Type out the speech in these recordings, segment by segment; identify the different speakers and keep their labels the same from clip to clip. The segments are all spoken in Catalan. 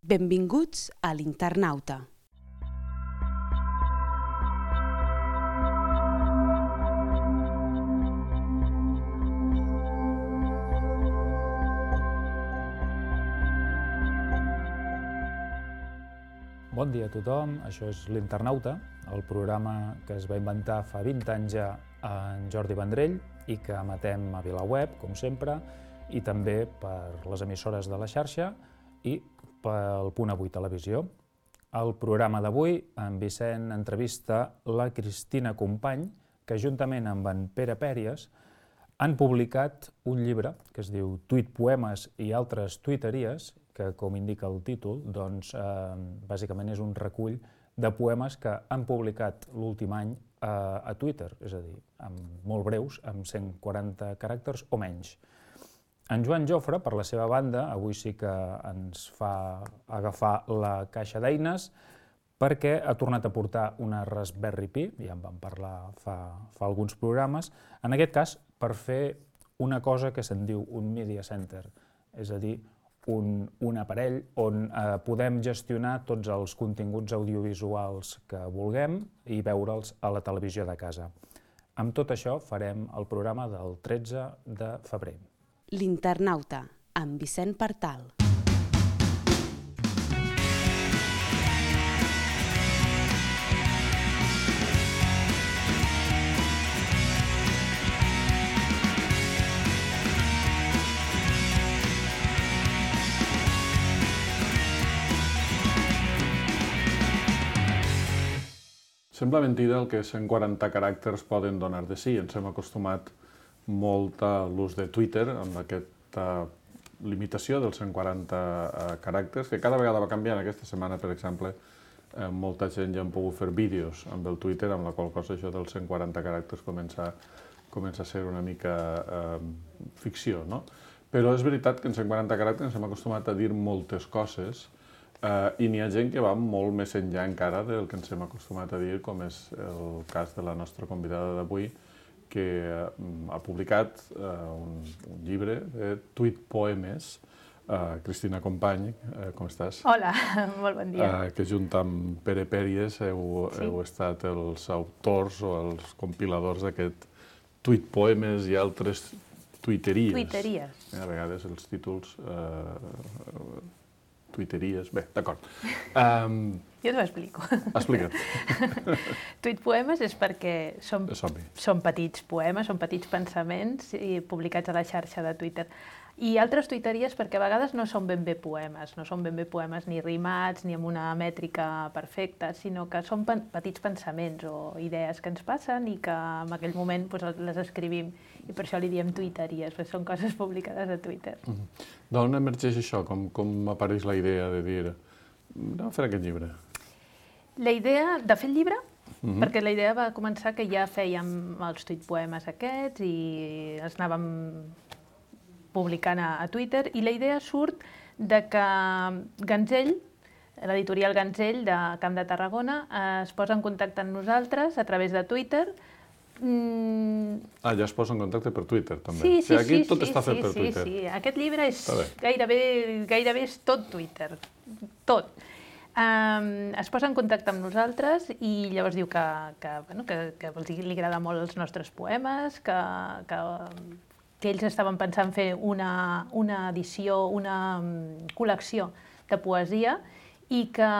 Speaker 1: Benvinguts a l'Internauta.
Speaker 2: Bon dia a tothom, això és l'Internauta, el programa que es va inventar fa 20 anys ja en Jordi Vendrell i que emetem a VilaWeb, com sempre, i també per les emissores de la xarxa i pel Punt Avui Televisió. Al programa d'avui, en Vicent entrevista la Cristina Company, que juntament amb en Pere Pèries han publicat un llibre que es diu Tuit, poemes i altres tuiteries, que, com indica el títol, doncs, bàsicament és un recull de poemes que han publicat l'últim any a Twitter, és a dir, molt breus, amb 140 caràcters o menys. En Joan Jofre, per la seva banda, avui sí que ens fa agafar la caixa d'eines perquè ha tornat a portar una Raspberry Pi, ja en vam parlar fa alguns programes, en aquest cas per fer una cosa que se'n diu un Media Center, és a dir, un aparell on podem gestionar tots els continguts audiovisuals que vulguem i veure'ls a la televisió de casa. Amb tot això farem el programa del 13 de febrer.
Speaker 1: L'Internauta, amb Vicent Partal.
Speaker 3: Sembla mentida el que 140 caràcters poden donar de si. Ens hem acostumat molt a l'ús de Twitter, amb aquesta limitació dels 140 caràcters, que cada vegada va canviant. Aquesta setmana, per exemple, molta gent ja han pogut fer vídeos amb el Twitter, amb la qual cosa això dels 140 caràcters comença a ser una mica ficció, no? Però és veritat que en 140 caràcters ens hem acostumat a dir moltes coses i n'hi ha gent que va molt més enllà encara del que ens hem acostumat a dir, com és el cas de la nostra convidada d'avui, que ha publicat un llibre de tuit poemes. Cristina Company, com estàs?
Speaker 4: Hola, molt bon dia.
Speaker 3: Que junt amb Pere Pèries heu estat els autors o els compiladors d'aquest tuit poemes i altres tuiteries.
Speaker 4: Tuiteries.
Speaker 3: A vegades els títols... tuiteries... Bé, d'acord.
Speaker 4: Jo t'ho explico.
Speaker 3: Explica't.
Speaker 4: Tuit poemes és perquè són petits poemes, són petits pensaments publicats a la xarxa de Twitter. I altres tuiteries perquè a vegades no són ben bé poemes, no són ben bé poemes ni rimats ni amb una mètrica perfecta, sinó que són petits pensaments o idees que ens passen i que en aquell moment les escrivim i per això li diem tuiteries, perquè són coses publicades a Twitter.
Speaker 3: D'on emergeix això? Com apareix la idea de dir anem a fer aquest llibre?
Speaker 4: La idea de fer el llibre, perquè la idea va començar que ja fèiem els tuitpoemes aquests i els anàvem publicant a Twitter, i la idea surt de que Ganzell, l'editorial Ganzell de Camp de Tarragona, es posa en contacte amb nosaltres a través de Twitter.
Speaker 3: Ja es posa en contacte per Twitter, també.
Speaker 4: Sí.
Speaker 3: Aquí tot està fet per Twitter.
Speaker 4: Sí. Aquest llibre és gairebé és tot Twitter, tot. Es posa en contacte amb nosaltres i llavors diu que li agrada molt els nostres poemes, que ells estaven pensant fer una edició, una col·lecció de poesia i que,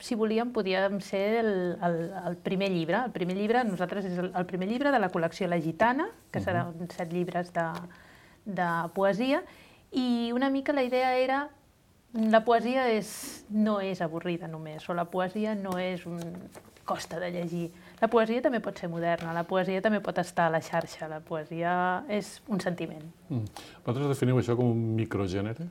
Speaker 4: si volíem, podíem ser el primer llibre. El primer llibre, nosaltres, és el primer llibre de la col·lecció La Gitana, que seran 7 llibres de poesia, i una mica la idea era la poesia no és avorrida només, o la poesia no és costa de llegir. La poesia també pot ser moderna, la poesia també pot estar a la xarxa, la poesia és un sentiment.
Speaker 3: Vosaltres definiu això com un microgènere?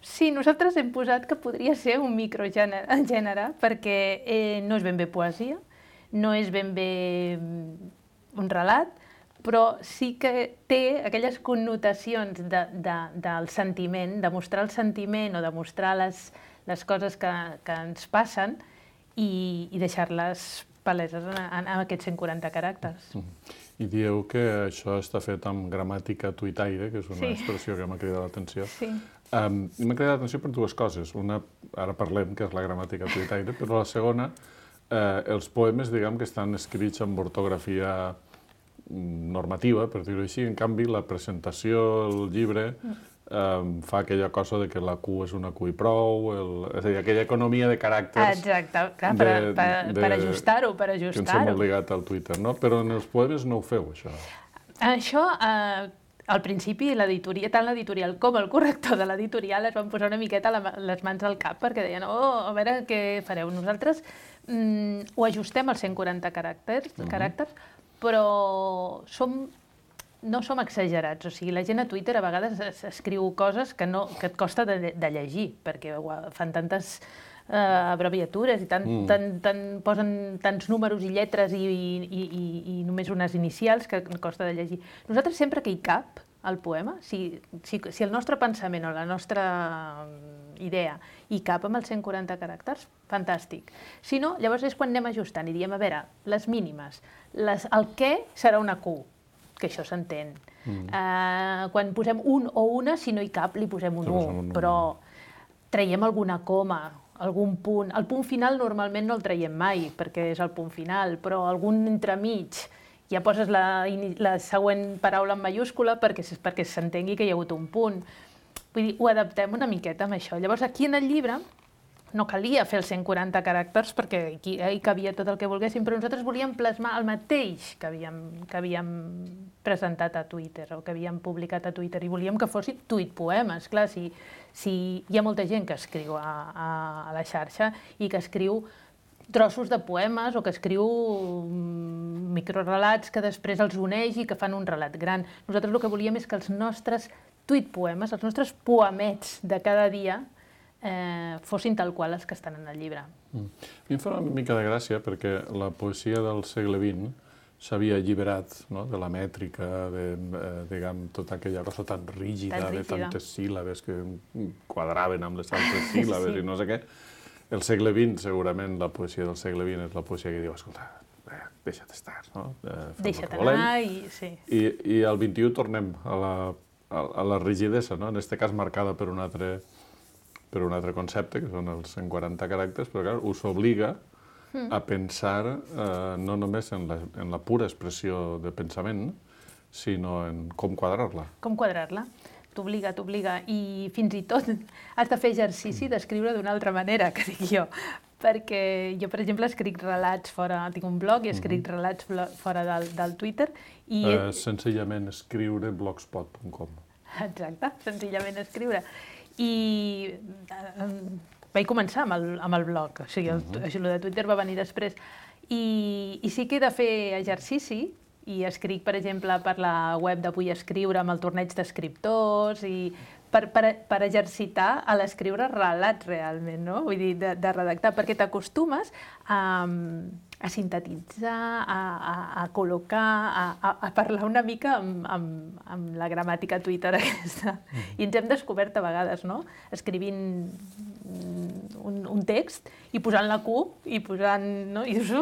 Speaker 4: Sí, nosaltres hem posat que podria ser un microgènere perquè no és ben bé poesia, no és ben bé un relat, però sí que té aquelles connotacions del sentiment, de mostrar el sentiment o de mostrar les coses que ens passen i deixar-les paleses en aquests 140 caràcters.
Speaker 3: I dieu que això està fet amb gramàtica tuitaire, que és una expressió que m'ha cridat l'atenció.
Speaker 4: Sí.
Speaker 3: M'ha cridat l'atenció per dues coses. Una, ara parlem, que és la gramàtica tuitaire, però la segona, els poemes, diguem, que estan escrits amb ortografia normativa, per dir-ho així. En canvi, la presentació, el llibre, fa aquella cosa de que la Q és una Q i prou, és a dir, aquella economia de caràcters...
Speaker 4: Exacte, clar, per ajustar-ho,
Speaker 3: que ens hem obligat al Twitter, no? Però en els poemes no ho feu, això.
Speaker 4: Això, al principi, tant l'editorial com el corrector de l'editorial es van posar una miqueta les mans al cap perquè deien, a veure què fareu. Nosaltres ho ajustem als 140 caràcters, però no som exagerats. O sigui, la gent a Twitter a vegades escriu coses que et costa de llegir, perquè fan tantes abreviatures i posen tants números i lletres i només unes inicials que costa de llegir. Nosaltres sempre que hi cap el poema, si el nostre pensament o la nostra idea hi cap amb els 140 caràcters, fantàstic. Si no, llavors és quan anem ajustant i diem, a veure, les mínimes, el què serà una Q, que això s'entén. Quan posem un o una, si no hi cap, li posem un 1, però traiem alguna coma, algun punt. El punt final normalment no el traiem mai, perquè és el punt final, però algun entremig, ja poses la següent paraula en mayúscula perquè s'entengui que hi ha hagut un punt. Vull dir, ho adaptem una miqueta amb això. Llavors, aquí en el llibre no calia fer els 140 caràcters perquè hi cabia tot el que volguéssim, però nosaltres volíem plasmar el mateix que havíem presentat a Twitter o que havíem publicat a Twitter i volíem que fossin tuitpoemes. Clar, si hi ha molta gent que escriu a la xarxa i que escriu trossos de poemes o que escriu microrelats que després els uneix i que fan un relat gran. Nosaltres el que volíem és que els nostres tuitpoemes, els nostres poemets de cada dia, fossin tal qual els que estan en el llibre.
Speaker 3: A mi em fa una mica de gràcia perquè la poesia del segle XX s'havia alliberat de la mètrica, de tota aquella cosa tan rígida, de tantes síl·labes que quadraven amb les altres síl·labes i no sé què. El segle XX, segurament, la poesia del segle XX és la poesia que diu, escolta, deixa't estar, no?
Speaker 4: Deixa't anar i...
Speaker 3: I al XXI tornem a la rigidesa, no? En aquest cas marcada per un altre concepte, que són els 140 caràcters, però clar, us obliga a pensar no només en la pura expressió de pensament, sinó en com quadrar-la.
Speaker 4: Com quadrar-la. T'obliga. I fins i tot has de fer exercici d'escriure d'una altra manera, que dic jo. Perquè jo, per exemple, escric relats fora... Tinc un blog i escric relats fora del Twitter.
Speaker 3: Senzillament escriure blogspot.com.
Speaker 4: Exacte, senzillament escriure. I vaig començar amb el blog, o sigui, el de Twitter va venir després. I sí que he de fer exercici, i escric, per exemple, per la web de Vull Escriure amb el torneig d'escriptors i per exercitar a l'escriure relats realment, no? Vull dir, de redactar, perquè t'acostumes a sintetitzar, a col·locar, a parlar una mica amb la gramàtica Twitter aquesta. I ens hem descobert a vegades, no? Escrivint un text i posant la Q i posant... I dius...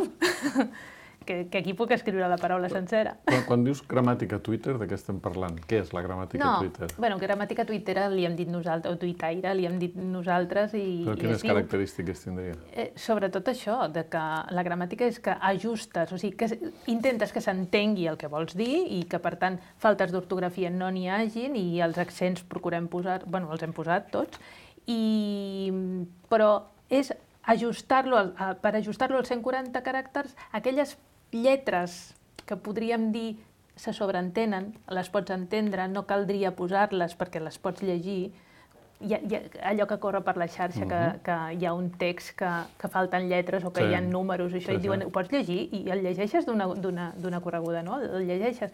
Speaker 4: que aquí puc escriure la paraula sencera.
Speaker 3: Quan dius gramàtica Twitter, de què estem parlant? Què és la gramàtica Twitter?
Speaker 4: Bueno, gramàtica Twitter li hem dit nosaltres, o tuitaire li hem dit nosaltres i...
Speaker 3: Però quines característiques tindria?
Speaker 4: Sobretot això, que la gramàtica és que ajustes, o sigui, que intentes que s'entengui el que vols dir i que, per tant, faltes d'ortografia no n'hi hagin i els accents procurem posar... Bueno, els hem posat tots, però és ajustar-lo, per ajustar-lo als 140 caràcters, aquelles lletres que podríem dir se sobreentenen, les pots entendre, no caldria posar-les perquè les pots llegir. Allò que corre per la xarxa, que hi ha un text que falten lletres o que hi ha números, això, i diuen, ho pots llegir i el llegeixes d'una correguda, no? El llegeixes.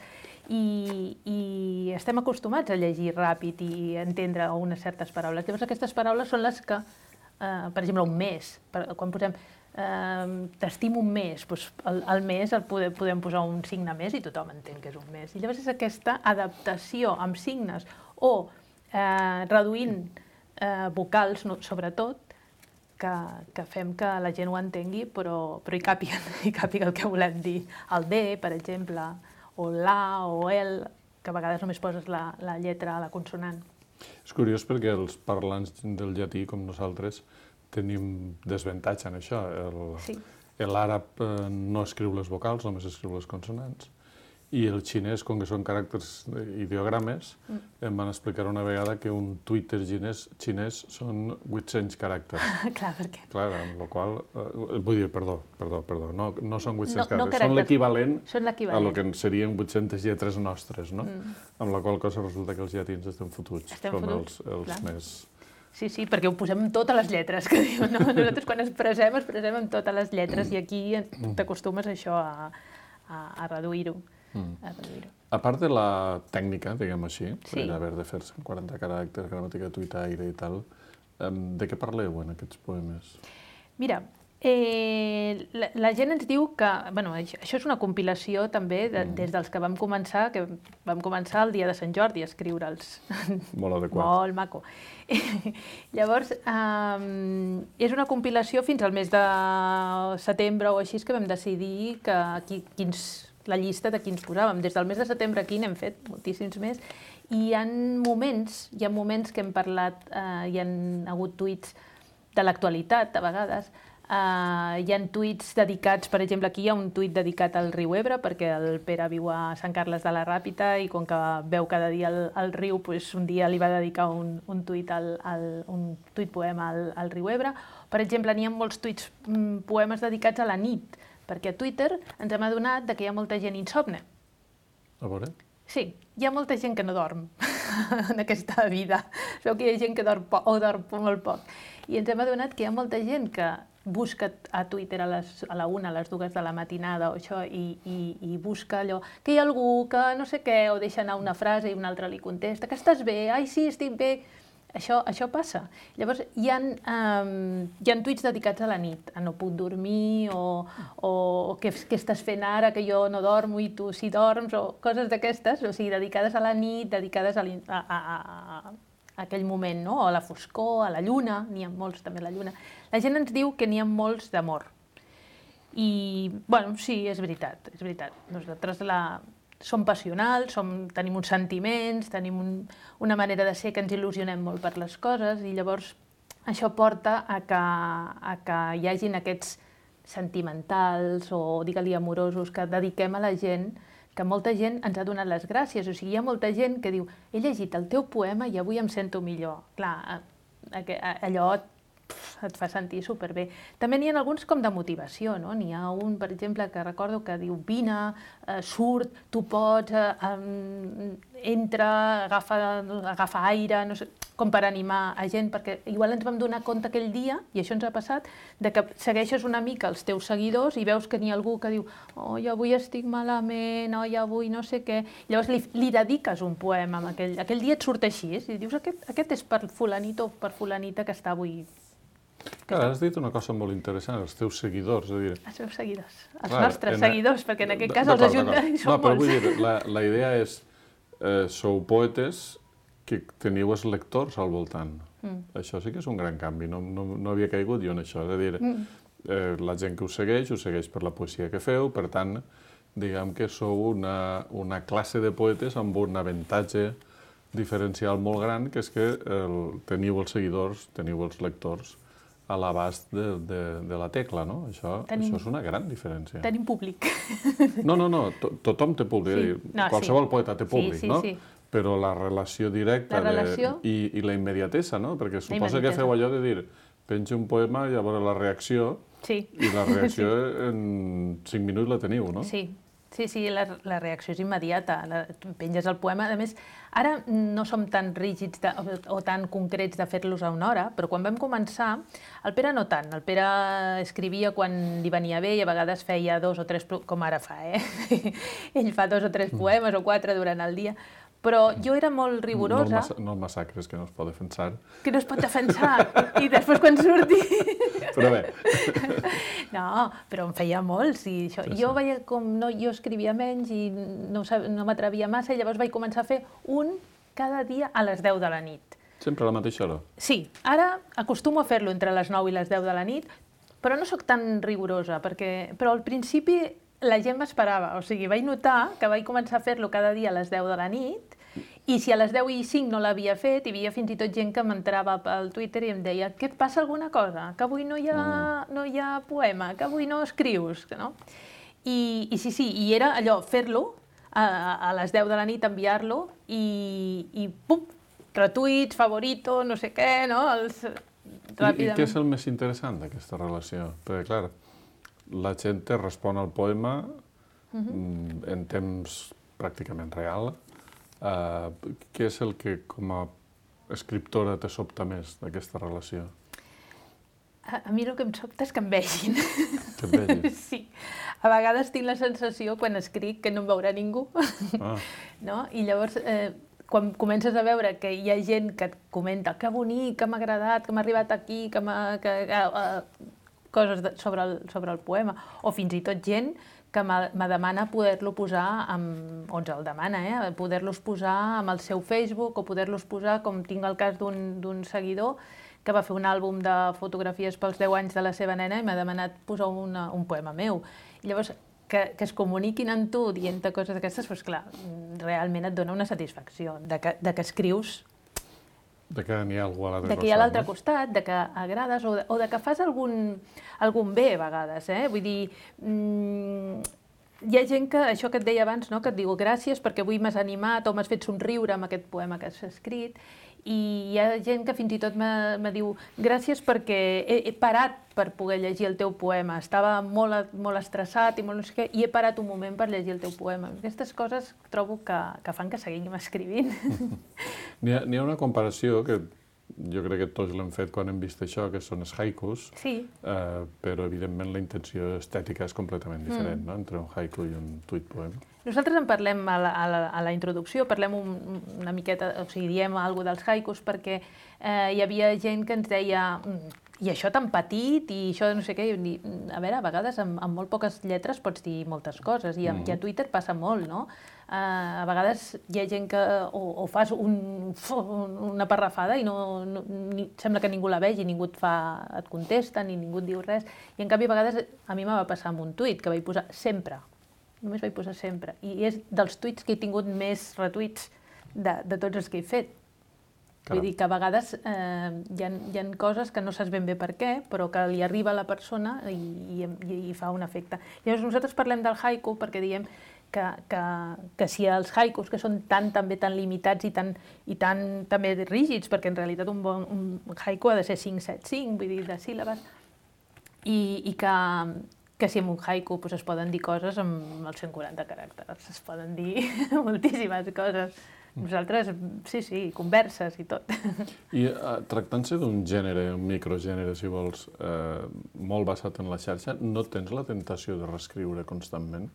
Speaker 4: I estem acostumats a llegir ràpid i entendre unes certes paraules. Llavors aquestes paraules són les que, per exemple, un mes, quan posem t'estimo un mes, al mes podem posar un signe més i tothom entén que és un mes. I llavors és aquesta adaptació amb signes o reduint vocals, sobretot, que fem que la gent ho entengui, però hi càpiga el que volem dir. El D, per exemple, o l'A o el, que a vegades només poses la lletra a la consonant.
Speaker 3: És curiós perquè els parlants del llatí, com nosaltres, tenim desavantatge en això. L'àrab no escriu les vocals, només escriu les consonants. I el xinès, com que són caràcters ideogrames, em van explicar una vegada que un Twitter xinès són 800 caràcters.
Speaker 4: Clar, per què?
Speaker 3: Clar, amb la qual vull dir, perdó, no són 800 caràcters, són l'equivalent a lo que serien 800 lletres nostres, no? Amb la qual cosa resulta que els llatins estem fotuts, com els més...
Speaker 4: Sí, perquè ho posem amb totes les lletres, que diuen, no? Nosaltres quan expressem amb totes les lletres i aquí t'acostumes a això, a reduir-ho.
Speaker 3: A part de la tècnica, diguem així, d'haver de fer 40 caràcters, gramàtica tuitaire i tal, de què parleu en aquests poemes?
Speaker 4: Mira, la gent ens diu que... Bueno, això és una compilació també des dels que vam començar el dia de Sant Jordi a escriure'ls.
Speaker 3: Molt adequat.
Speaker 4: Molt maco. Llavors, és una compilació fins al mes de setembre o així que vam decidir la llista de quins posàvem. Des del mes de setembre aquí n'hem fet moltíssims més i hi ha moments que hem parlat, hi ha hagut tuits de l'actualitat a vegades, hi ha tuits dedicats, per exemple, aquí hi ha un tuit dedicat al riu Ebre perquè el Pere viu a Sant Carles de la Ràpita i com que veu cada dia el riu, un dia li va dedicar un tuit poema al riu Ebre. Per exemple, n'hi ha molts tuits poemes dedicats a la nit, perquè a Twitter ens hem adonat que hi ha molta gent insomne.
Speaker 3: A veure?
Speaker 4: Sí, hi ha molta gent que no dorm en aquesta vida. Sabeu que hi ha gent que dorm poc o dorm molt poc. I ens hem adonat que hi ha molta gent que busca a Twitter a la 1, a les 2 de la matinada o això, i busca allò, que hi ha algú que no sé què, o deixa anar una frase i un altre li contesta, que estàs bé? Ai, sí, estic bé. Això passa. Llavors, hi ha tuits dedicats a la nit, a no puc dormir, o què estàs fent ara que jo no dormo i tu sí dorms, o coses d'aquestes, o sigui, dedicades a la nit, dedicades a aquell moment, no? A la foscor, a la lluna, n'hi ha molts també a la lluna. La gent ens diu que n'hi ha molts d'amor. I, bueno, sí, és veritat. Nosaltres som passionals, tenim uns sentiments, tenim una manera de ser que ens il·lusionem molt per les coses i llavors això porta a que hi hagin aquests sentimentals o, digue-li, amorosos que dediquem a la gent, que molta gent ens ha donat les gràcies. O sigui, hi ha molta gent que diu he llegit el teu poema i avui em sento millor. Clar, allò et fa sentir superbé. També n'hi ha alguns com de motivació, no? N'hi ha un, per exemple, que recordo que diu vine, surt, tu pots, entra, agafa aire, no sé, com per animar a gent, perquè igual ens vam donar compte aquell dia, i això ens ha passat, de que segueixes una mica els teus seguidors i veus que n'hi ha algú que diu oi, avui estic malament, oi, avui no sé què. Llavors li dediques un poema, aquell dia et surt així, i dius aquest és per fulanit o per fulanita que està avui.
Speaker 3: Clar, has dit una cosa molt interessant, els teus seguidors.
Speaker 4: Els meus seguidors, els nostres seguidors, perquè en aquest cas els ajuntaments són molts. No, però vull dir,
Speaker 3: la idea és, sou poetes que teniu els lectors al voltant. Això sí que és un gran canvi, no havia caigut jo en això. És a dir, la gent que us segueix per la poesia que feu, per tant, diguem que sou una classe de poetes amb un avantatge diferencial molt gran, que és que teniu els seguidors, teniu els lectors a l'abast de la tecla, no? Això és una gran diferència.
Speaker 4: Tenim públic.
Speaker 3: No, tothom té públic. Qualsevol poeta té públic, no? Però la relació directa i la immediatesa, no? Perquè suposa que feu allò de dir penja un poema i a veure la reacció, i la reacció en 5 minuts la teniu, no?
Speaker 4: Sí, la reacció és immediata, penges el poema. A més, ara no som tan rígids o tan concrets de fer-los a una hora, però quan vam començar, el Pere no tant. El Pere escrivia quan li venia bé i a vegades feia 2 o 3, com ara fa, Ell fa 2 o 3 poemes o 4 durant el dia. Però jo era molt rigorosa.
Speaker 3: No el massacres, que no es pot defensar.
Speaker 4: Que no es pot defensar. I després quan surti...
Speaker 3: Però bé.
Speaker 4: No, però em feia molts. Jo veia com jo escrivia menys i no m'atrevia massa i llavors vaig començar a fer un cada dia a les 10 de la nit.
Speaker 3: Sempre a la mateixa hora?
Speaker 4: Sí. Ara acostumo a fer-lo entre les 9 i les 10 de la nit, però no sóc tan rigorosa, però al principi la gent m'esperava. O sigui, vaig notar que vaig començar a fer-lo cada dia a les 10 de la nit I si a les 10:05 no l'havia fet, hi havia fins i tot gent que m'entrava pel Twitter i em deia que et passa alguna cosa, que avui no hi ha poema, que avui no escrius, no? I sí, i era allò, fer-lo, a les 10 de la nit enviar-lo i pum, retuits, favorito, no sé què, no?
Speaker 3: I què és el més interessant d'aquesta relació? Perquè, clar, la gent te respon al poema en temps pràcticament real. Què és el que, com a escriptora, te sobta més d'aquesta relació?
Speaker 4: A mi el que em sobta és que em vegin.
Speaker 3: Que et vegin?
Speaker 4: Sí. A vegades tinc la sensació, quan escric, que no em veurà ningú. No? I llavors, quan comences a veure que hi ha gent que et comenta que bonic, que m'ha agradat, que m'ha arribat aquí, coses sobre el poema, o fins i tot gent que me demana poder-lo posar, o ens el demana, poder-los posar amb el seu Facebook o poder-los posar, com tinc el cas d'un seguidor que va fer un àlbum de fotografies pels 10 anys de la seva nena i m'ha demanat posar un poema meu. I llavors, que es comuniquin amb tu dient-te coses d'aquestes, doncs clar, realment et dona una satisfacció de que escrius.
Speaker 3: De que n'hi ha algú a l'altre costat.
Speaker 4: De que hi ha a l'altre costat, de que agrades o de que fas algun bé a vegades. Vull dir, hi ha gent que, això que et deia abans, que et diu gràcies perquè avui m'has animat o m'has fet somriure amb aquest poema que has escrit, i hi ha gent que fins i tot me diu gràcies perquè he parat per poder llegir el teu poema, estava molt estressat i molt no sé què, i he parat un moment per llegir el teu poema. Aquestes coses trobo que fan que seguim escrivint.
Speaker 3: N'hi ha una comparació que jo crec que tots l'hem fet quan hem vist això, que són els haikus, però evidentment la intenció estètica és completament diferent, entre un haiku i un tuit poema.
Speaker 4: Nosaltres en parlem a la introducció, parlem una miqueta, o sigui, diem alguna cosa dels haikus perquè hi havia gent que ens deia i això tan petit, i això no sé què, a veure, a vegades amb molt poques lletres pots dir moltes coses, i a Twitter passa molt, no? A vegades hi ha gent que o fas una parrafada i sembla que ningú la vegi, ningú et contesta, ni ningú et diu res, i en canvi a vegades a mi va passar amb un tuit que vaig posar sempre, només vaig posar sempre, i és dels tuits que he tingut més retuits de tots els que he fet. Vull dir que a vegades hi ha coses que no saps ben bé per què, però que li arriba a la persona i fa un efecte. Llavors nosaltres parlem del haiku perquè diem que si els haikus, que són també tan limitats i tan també rígids, perquè en realitat un haiku ha de ser 5-7-5, vull dir, de síl·labes, i que si en un haiku es poden dir coses amb els 140 caràcters, es poden dir moltíssimes coses. Nosaltres, sí, converses i tot.
Speaker 3: I tractant-se d'un gènere, un microgènere, si vols, molt basat en la xarxa, no tens la tentació de reescriure constantment?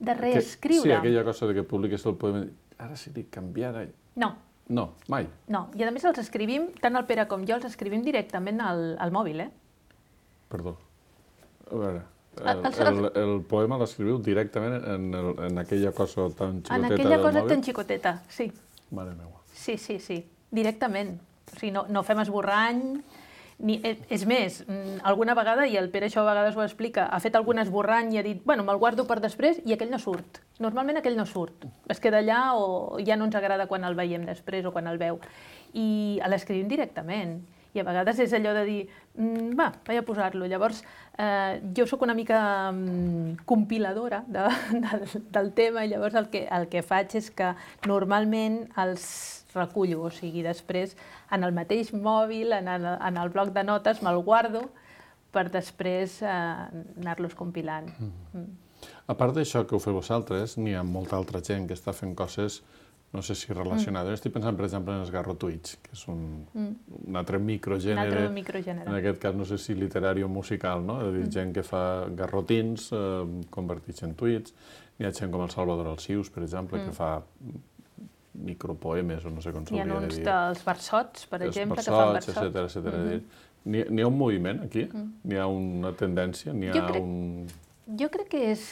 Speaker 4: De reescriure?
Speaker 3: Sí, aquella cosa de que publiques el poema, ara sí dic canviar...
Speaker 4: No.
Speaker 3: No, mai?
Speaker 4: No, i a més els escrivim, tant el Pere com jo, els escrivim directament al mòbil,
Speaker 3: Perdó. A veure... El poema l'escriviu directament en aquella cosa tan xicoteta del mòbil?
Speaker 4: En aquella cosa tan xicoteta, sí.
Speaker 3: Mare meva.
Speaker 4: Sí, directament. O sigui, no fem esborrany. És més, alguna vegada, i el Pere això a vegades ho explica, ha fet algun esborrany i ha dit, bueno, me'l guardo per després i aquell no surt. Normalment aquell no surt. Es queda allà o ja no ens agrada quan el veiem després o quan el veu. I l'escrivim directament. I a vegades és allò de dir, vaig a posar-lo. Llavors, jo sóc una mica compiladora del tema i llavors el que faig és que normalment els recullo, o sigui, després en el mateix mòbil, en el bloc de notes, me'l guardo per després anar-los compilant.
Speaker 3: A part d'això que ho feu vosaltres, n'hi ha molta altra gent que està fent coses no sé si relacionada. Estic pensant, per exemple, en els garrotuits, que és un altre microgènere, en aquest cas no sé si literari o musical, no? És a dir, gent que fa garrotins convertits en tuits. Hi ha gent com el Salvador Alsius, per exemple, que fa micropoemes, o no sé com s'hauria de dir.
Speaker 4: Hi ha uns dels versots, per exemple, que fan versots.
Speaker 3: Etcètera. N'hi ha un moviment aquí? N'hi ha una tendència?
Speaker 4: Jo crec que és...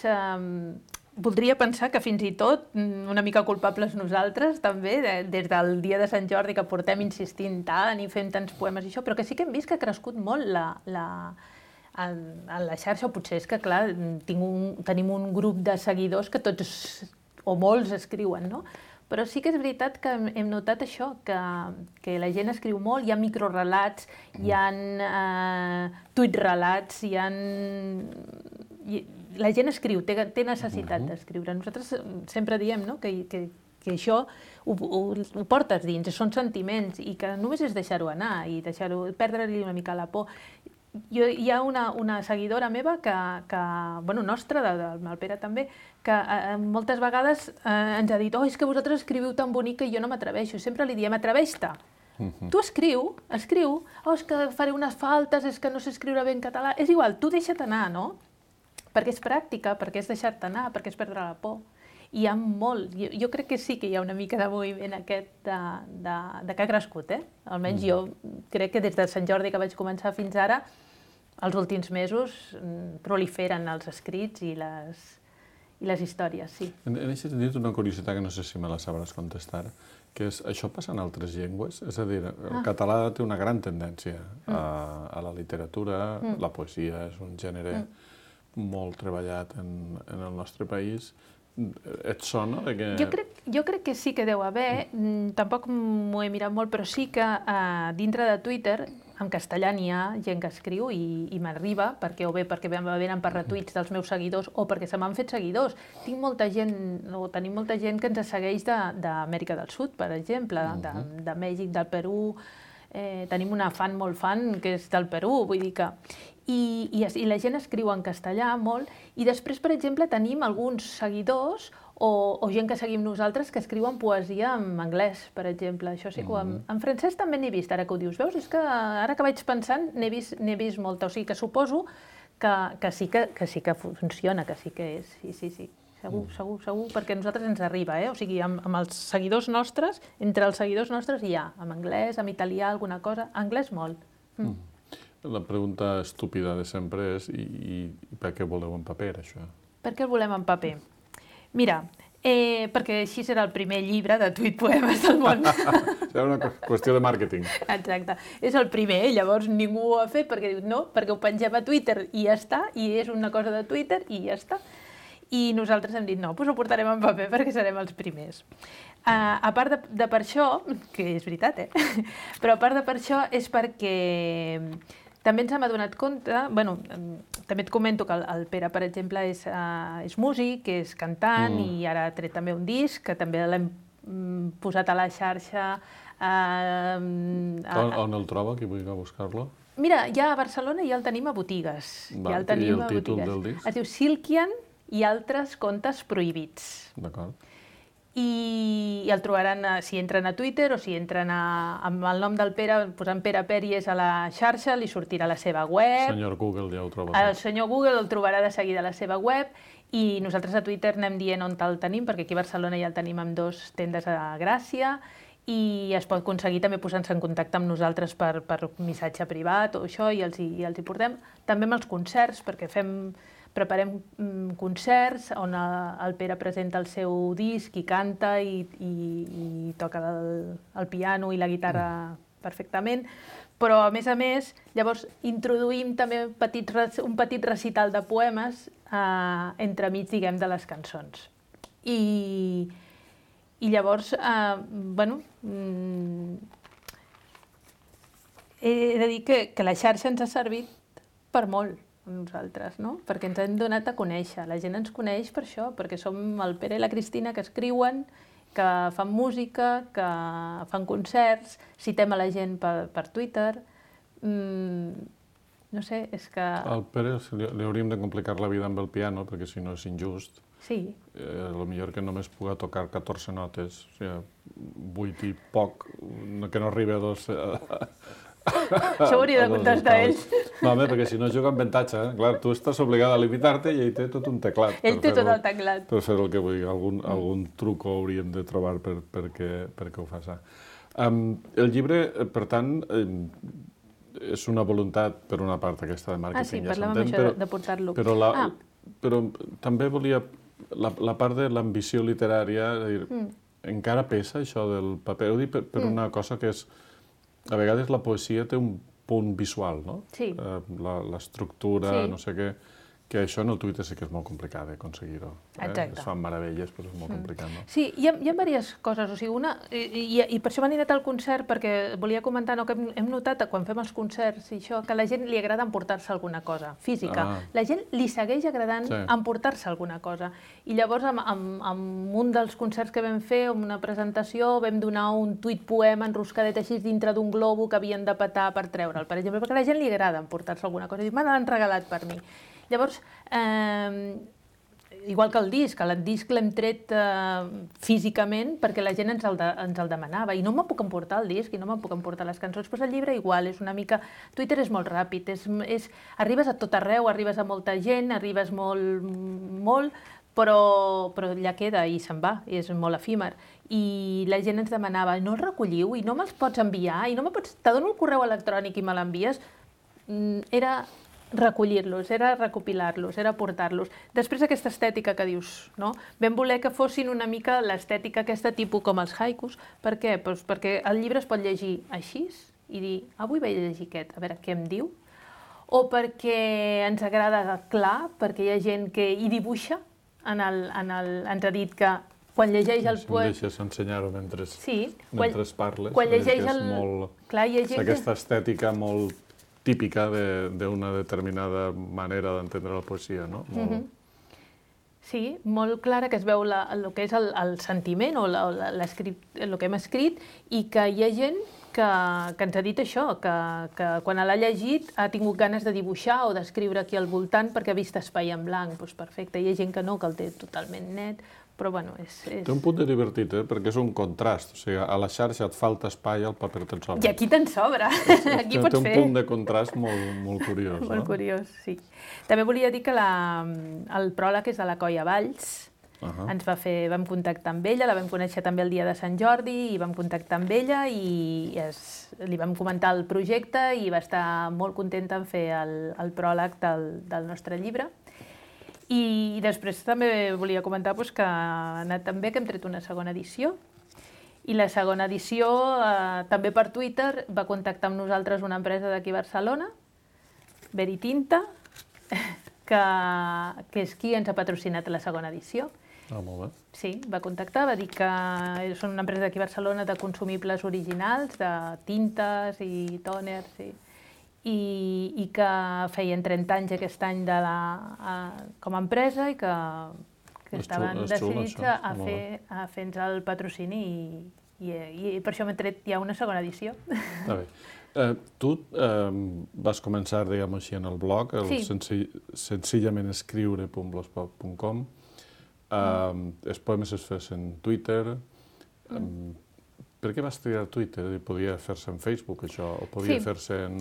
Speaker 4: Voldria pensar que fins i tot una mica culpables nosaltres, també, des del dia de Sant Jordi, que portem insistint tant i fent tants poemes i això, però que sí que hem vist que ha crescut molt a la xarxa, o potser és que, clar, tenim un grup de seguidors que tots, o molts, escriuen, no? Però sí que és veritat que hem notat això, que la gent escriu molt, hi ha microrelats, hi ha tuit-relats, la gent escriu, té necessitat d'escriure. Nosaltres sempre diem que això ho portes dins, són sentiments, i que només és deixar-ho anar i perdre-li una mica la por. Hi ha una seguidora meva, nostra, del Pere també, que moltes vegades ens ha dit és que vosaltres escriviu tan bonic que jo no m'atreveixo. Sempre li diem, atreveix-te. Tu escriu, és que faré unes faltes, és que no sé escriure bé en català. És igual, tu deixa't anar, no? Perquè és pràctica, perquè és deixar-te anar, perquè és perdre la por. I hi ha molt. Jo crec que sí que hi ha una mica de moviment aquest que ha crescut, Almenys jo crec que des de Sant Jordi que vaig començar fins ara, els últims mesos proliferen els escrits i les històries, sí.
Speaker 3: En aquest sentit, una curiositat que no sé si me la sabràs contestar, que és, això passa en altres llengües? És a dir, el català té una gran tendència a la literatura, la poesia és un gènere molt treballat en el nostre país. Et sona?
Speaker 4: Jo crec que sí que deu haver, tampoc m'ho he mirat molt, però sí que dintre de Twitter, en castellà n'hi ha gent que escriu i m'arriba, perquè venen per retuits dels meus seguidors o perquè se m'han fet seguidors. Tenim molta gent que ens segueix d'Amèrica del Sud, per exemple, de Mèxic, del Perú. Tenim una fan molt fan que és del Perú, vull dir que... I la gent escriu en castellà molt, i després, per exemple, tenim alguns seguidors o gent que seguim nosaltres que escriuen poesia en anglès, per exemple. Això sí que en francès també n'he vist, ara que ho dius. Veus? És que ara que vaig pensant n'he vist molta. O sigui que suposo que sí que funciona, que sí que és. Sí. Segur, perquè a nosaltres ens arriba, O sigui, amb els seguidors nostres, entre els seguidors nostres hi ha, en anglès, en italià, alguna cosa, anglès molt.
Speaker 3: La pregunta estúpida de sempre és i per què voleu en paper, això?
Speaker 4: Per què el volem en paper? Mira, perquè així serà el primer llibre de tuit-poemes del món.
Speaker 3: Serà una qüestió de màrqueting.
Speaker 4: Exacte. És el primer, llavors ningú ho ha fet perquè diu no, perquè ho pengem a Twitter i ja està, i és una cosa de Twitter i ja està. I nosaltres hem dit no, doncs ho portarem en paper perquè serem els primers. A part de per això, que és veritat, però a part de per això és perquè també ens hem adonat compte, també et comento que el Pere, per exemple, és músic, és cantant i ara ha tret també un disc, que també l'hem posat a la xarxa.
Speaker 3: On el troba, qui vulgui buscar-lo?
Speaker 4: Mira, ja a Barcelona ja el tenim a botigues.
Speaker 3: I el títol del disc?
Speaker 4: Es diu Silkian i altres contes prohibits.
Speaker 3: D'acord.
Speaker 4: I el trobaran si entren a Twitter o si entren amb el nom del Pere, posant Pere Pèries a la xarxa, li sortirà a la seva web.
Speaker 3: El senyor Google ja ho troba.
Speaker 4: El senyor Google el trobarà de seguida a la seva web i nosaltres a Twitter anem dient on el tenim, perquè aquí a Barcelona ja el tenim amb 2 tendes a Gràcia i es pot aconseguir també posant-se en contacte amb nosaltres per missatge privat o això i els hi portem. També amb els concerts, perquè preparem concerts on el Pere presenta el seu disc i canta i toca el piano i la guitarra perfectament, però a més, llavors introduïm també un petit recital de poemes entremig, diguem, de les cançons. I llavors, he de dir que la xarxa ens ha servit per molt a nosaltres, no? Perquè ens hem donat a conèixer. La gent ens coneix per això, perquè som el Pere i la Cristina que escriuen, que fan música, que fan concerts, citem a la gent per Twitter. No sé, és que...
Speaker 3: Al Pere li hauríem de complicar la vida amb el piano, perquè si no és injust.
Speaker 4: Sí.
Speaker 3: Potser que només puga tocar 14 notes, o sigui, 8 i poc, que no arribi a 2...
Speaker 4: Això ho hauria de contestar ell.
Speaker 3: No, home, perquè si no juga amb avantatge. Clar, tu estàs obligada a limitar-te i ell té tot un teclat.
Speaker 4: Ell té tot el teclat.
Speaker 3: Per fer el que vulgui. Algun truco hauríem de trobar perquè ho faci. El llibre, per tant, és una voluntat, per una part, aquesta de màrqueting.
Speaker 4: Sí, parlàvem això de portar-lo.
Speaker 3: Però també volia... La part de l'ambició literària, encara pesa això del paper? Ho dic per una cosa que és... A vegades la poesia té un punt visual, no?
Speaker 4: Sí.
Speaker 3: L'estructura, no sé què, Que això en el Twitter sí que és molt complicat d'aconseguir-ho.
Speaker 4: Exacte.
Speaker 3: Es fan meravelles, però és molt complicat, no?
Speaker 4: Sí, hi ha diverses coses. O sigui, una, i per això m'he anat al concert, perquè volia comentar que hem notat quan fem els concerts i això, que a la gent li agrada emportar-se alguna cosa física. La gent li segueix agradant emportar-se alguna cosa. I llavors, en un dels concerts que vam fer, en una presentació, vam donar un tuit poema enroscadet així dintre d'un globo que havien de petar per treure'l, per exemple, perquè a la gent li agrada emportar-se alguna cosa. I me l'han regalat per mi. Llavors, igual que el disc l'hem tret físicament perquè la gent ens el demanava i no me puc emportar el disc i no me puc emportar les cançons, però el llibre igual, és una mica... Twitter és molt ràpid, arribes a tot arreu, arribes a molta gent, arribes molt, però ja queda i se'n va, i és molt efímer. I la gent ens demanava, no el recolliu i no me'ls pots enviar, i no me pots... Te dono el correu electrònic i me l'envies. Era recollir-los, era recopilar-los, era portar-los. Després aquesta estètica que dius, no? Vam voler que fossin una mica l'estètica aquesta tipus com els haikus. Per què? Doncs perquè el llibre es pot llegir així i dir, avui vaig llegir aquest, a veure què em diu, o perquè ens agrada clar, perquè hi ha gent que hi dibuixa, ens ha dit que quan llegeix el poema...
Speaker 3: Em deixes ensenyar-ho mentre parles.
Speaker 4: Quan llegeix el...
Speaker 3: Aquesta estètica molt típica d'una determinada manera d'entendre la poesia, no?
Speaker 4: Sí, molt clara, que es veu el que és el sentiment o el que hem escrit, i que hi ha gent que ens ha dit això, que quan l'ha llegit ha tingut ganes de dibuixar o d'escriure aquí al voltant perquè ha vist espai en blanc. Doncs perfecte, hi ha gent que no, que el té totalment net, però bueno, és...
Speaker 3: Té un punt de divertit, perquè és un contrast. O sigui, a la xarxa et falta espai, al paper te'n sobra.
Speaker 4: I aquí te'n sobra. Aquí pots fer...
Speaker 3: Té un punt de contrast molt curiós, no?
Speaker 4: Molt curiós, sí. També volia dir que el pròleg és de la Coia Valls. Vam contactar amb ella, la vam conèixer també el dia de Sant Jordi, i vam contactar amb ella i li vam comentar el projecte i va estar molt contenta en fer el pròleg del nostre llibre. I després també volia comentar que ha anat tan bé que hem tret una segona edició. I la segona edició, també per Twitter, va contactar amb nosaltres una empresa d'aquí a Barcelona, Veritinta, que és qui ens ha patrocinat la segona edició.
Speaker 3: Ah, molt bé.
Speaker 4: Sí, va contactar, va dir que són una empresa d'aquí a Barcelona de consumibles originals, de tintes i tòners, i que feien 30 anys aquest any com a empresa i que estaven decidits a fer-nos el patrocini i per això m'he tret ja una segona edició.
Speaker 3: Està bé. Tu vas començar, diguem-ho així, en el blog, senzillament escriure.blogspot.com. Els poemes es fes en Twitter. Per què vas triar Twitter? Podia fer-se en Facebook, això? O podia fer-se en...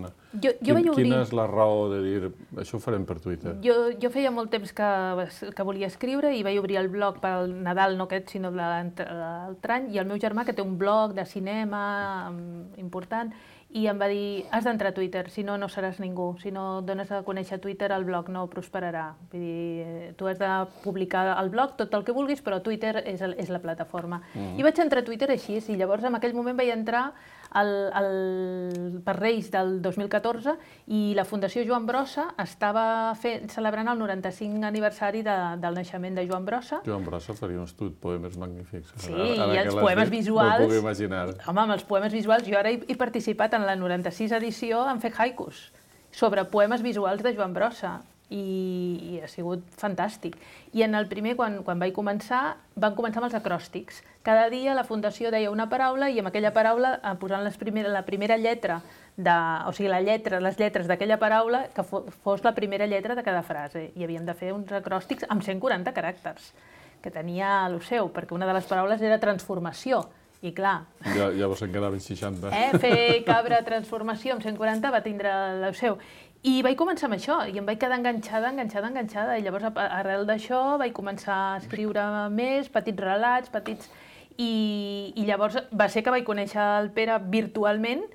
Speaker 3: Quina és la raó de dir, això ho farem per Twitter?
Speaker 4: Jo feia molt temps que volia escriure i vaig obrir el blog pel Nadal, no aquest, sinó l'altre any, i el meu germà, que té un blog de cinema important, i em va dir, has d'entrar a Twitter, si no, no seràs ningú. Si no dones a conèixer Twitter, el blog no prosperarà. Vull dir, tu has de publicar al blog tot el que vulguis, però Twitter és la plataforma. I vaig entrar a Twitter així, i llavors en aquell moment vaig entrar per Reis del 2014 i la Fundació Joan Brossa estava celebrant el 95 aniversari del naixement de Joan Brossa.
Speaker 3: Joan Brossa faria uns poemes magnífics.
Speaker 4: Sí, i els poemes visuals...
Speaker 3: No ho puc imaginar.
Speaker 4: Home, amb els poemes visuals, jo ara he participat en la 96 edició en fer haikus sobre poemes visuals de Joan Brossa i ha sigut fantàstic. I en el primer, quan vaig començar, van començar amb els acròstics. Cada dia la Fundació deia una paraula i amb aquella paraula, posant la primera lletra, o sigui, les lletres d'aquella paraula, que fos la primera lletra de cada frase. I havíem de fer uns acròstics amb 140 caràcters, que tenia el seu, perquè una de les paraules era transformació. I clar...
Speaker 3: Llavors en quedaven 60.
Speaker 4: Fer cabra transformació amb 140 va tindre el seu. I vaig començar amb això, i em vaig quedar enganxada, i llavors arrel d'això vaig començar a escriure més, petits relats, i llavors va ser que vaig conèixer el Pere virtualment,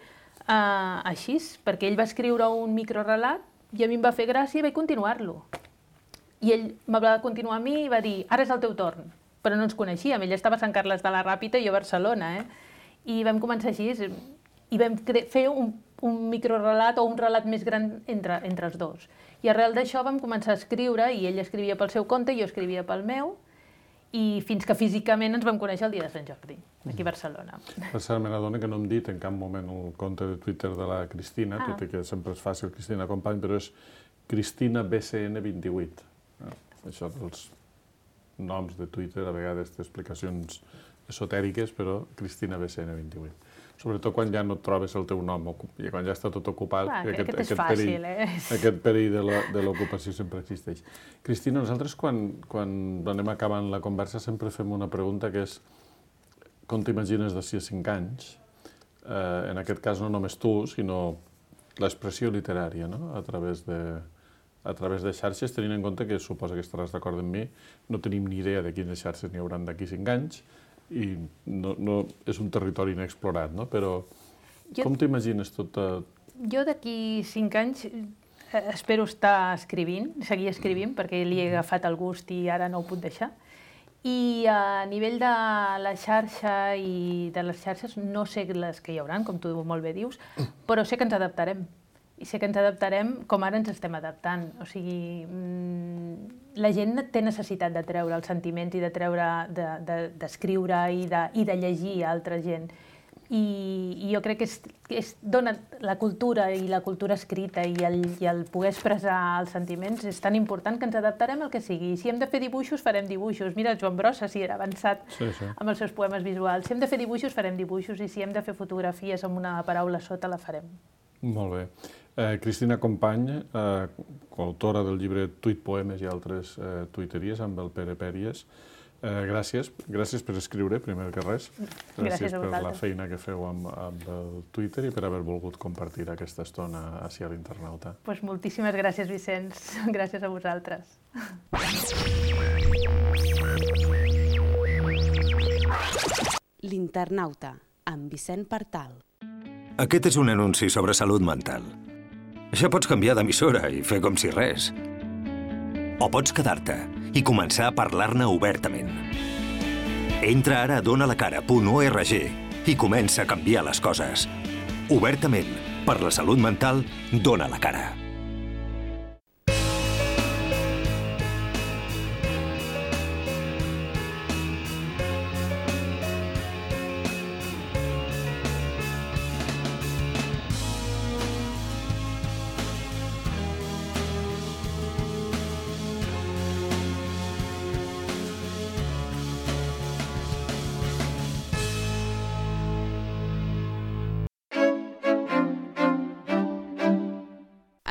Speaker 4: així, perquè ell va escriure un microrelat i a mi em va fer gràcia i vaig continuar-lo. I ell me va continuar a mi i va dir, ara és el teu torn, però no ens coneixíem, ell estava a Sant Carles de la Ràpita i jo a Barcelona, i vam començar així, i vam fer un microrelat o un relat més gran entre els dos. I arrel d'això vam començar a escriure, i ell escrivia pel seu compte i jo escrivia pel meu, i fins que físicament ens vam conèixer el dia de Sant Jordi, aquí a Barcelona.
Speaker 3: Per cert, me n'adona que no hem dit en cap moment el compte de Twitter de la Cristina, tot i que sempre és fàcil Cristina Company, però és Cristina BCN28. Això dels noms de Twitter, a vegades té explicacions esotèriques, però Cristina BCN28. Sobretot quan ja no et trobes el teu nom, i quan ja està tot ocupat,
Speaker 4: aquest és fàcil,
Speaker 3: aquest perill de l'ocupació sempre existeix. Cristina, nosaltres quan anem acabant la conversa sempre fem una pregunta que és com t'imagines d'ací a 5 anys? En aquest cas no només tu, sinó l'expressió literària, no? A través de xarxes, tenint en compte que suposa que estaràs d'acord amb mi, no tenim ni idea de quines xarxes n'hi hauran d'aquí 5 anys, i no és un territori inexplorat, no? Però com t'imagines tot?
Speaker 4: Jo d'aquí 5 anys espero estar escrivint, seguir escrivint, perquè li he agafat el gust i ara no ho puc deixar. I a nivell de la xarxa i de les xarxes, no sé les que hi hauran, com tu molt bé dius, però sé que ens adaptarem. I sé que ens adaptarem com ara ens estem adaptant. O sigui, la gent té necessitat de treure els sentiments i de treure, d'escriure i de llegir a altra gent. I jo crec que dona la cultura i la cultura escrita i el poder expressar els sentiments és tan important que ens adaptarem al que sigui. Si hem de fer dibuixos, farem dibuixos. Mira, Joan Brossa, si era avançat amb els seus poemes visuals. Si hem de fer dibuixos, farem dibuixos. I si hem de fer fotografies amb una paraula sota, la farem.
Speaker 3: Molt bé. Cristina Company, coautora del llibre Tuit Poemes i altres tuiteries amb el Pere Pèries. Gràcies per escriure, primer que res. Gràcies per la feina que feu amb el Twitter i per haver volgut compartir aquesta estona ací a l'Internauta.
Speaker 4: Doncs moltíssimes gràcies, Vicenç. Gràcies a vosaltres.
Speaker 1: L'Internauta, amb Vicent Partal.
Speaker 5: Aquest és un anunci sobre salut mental. Ja pots canviar d'emissora i fer com si res. O pots quedar-te i començar a parlar-ne obertament. Entra ara a donalacara.org i comença a canviar les coses. Obertament, per la salut mental, dona la cara.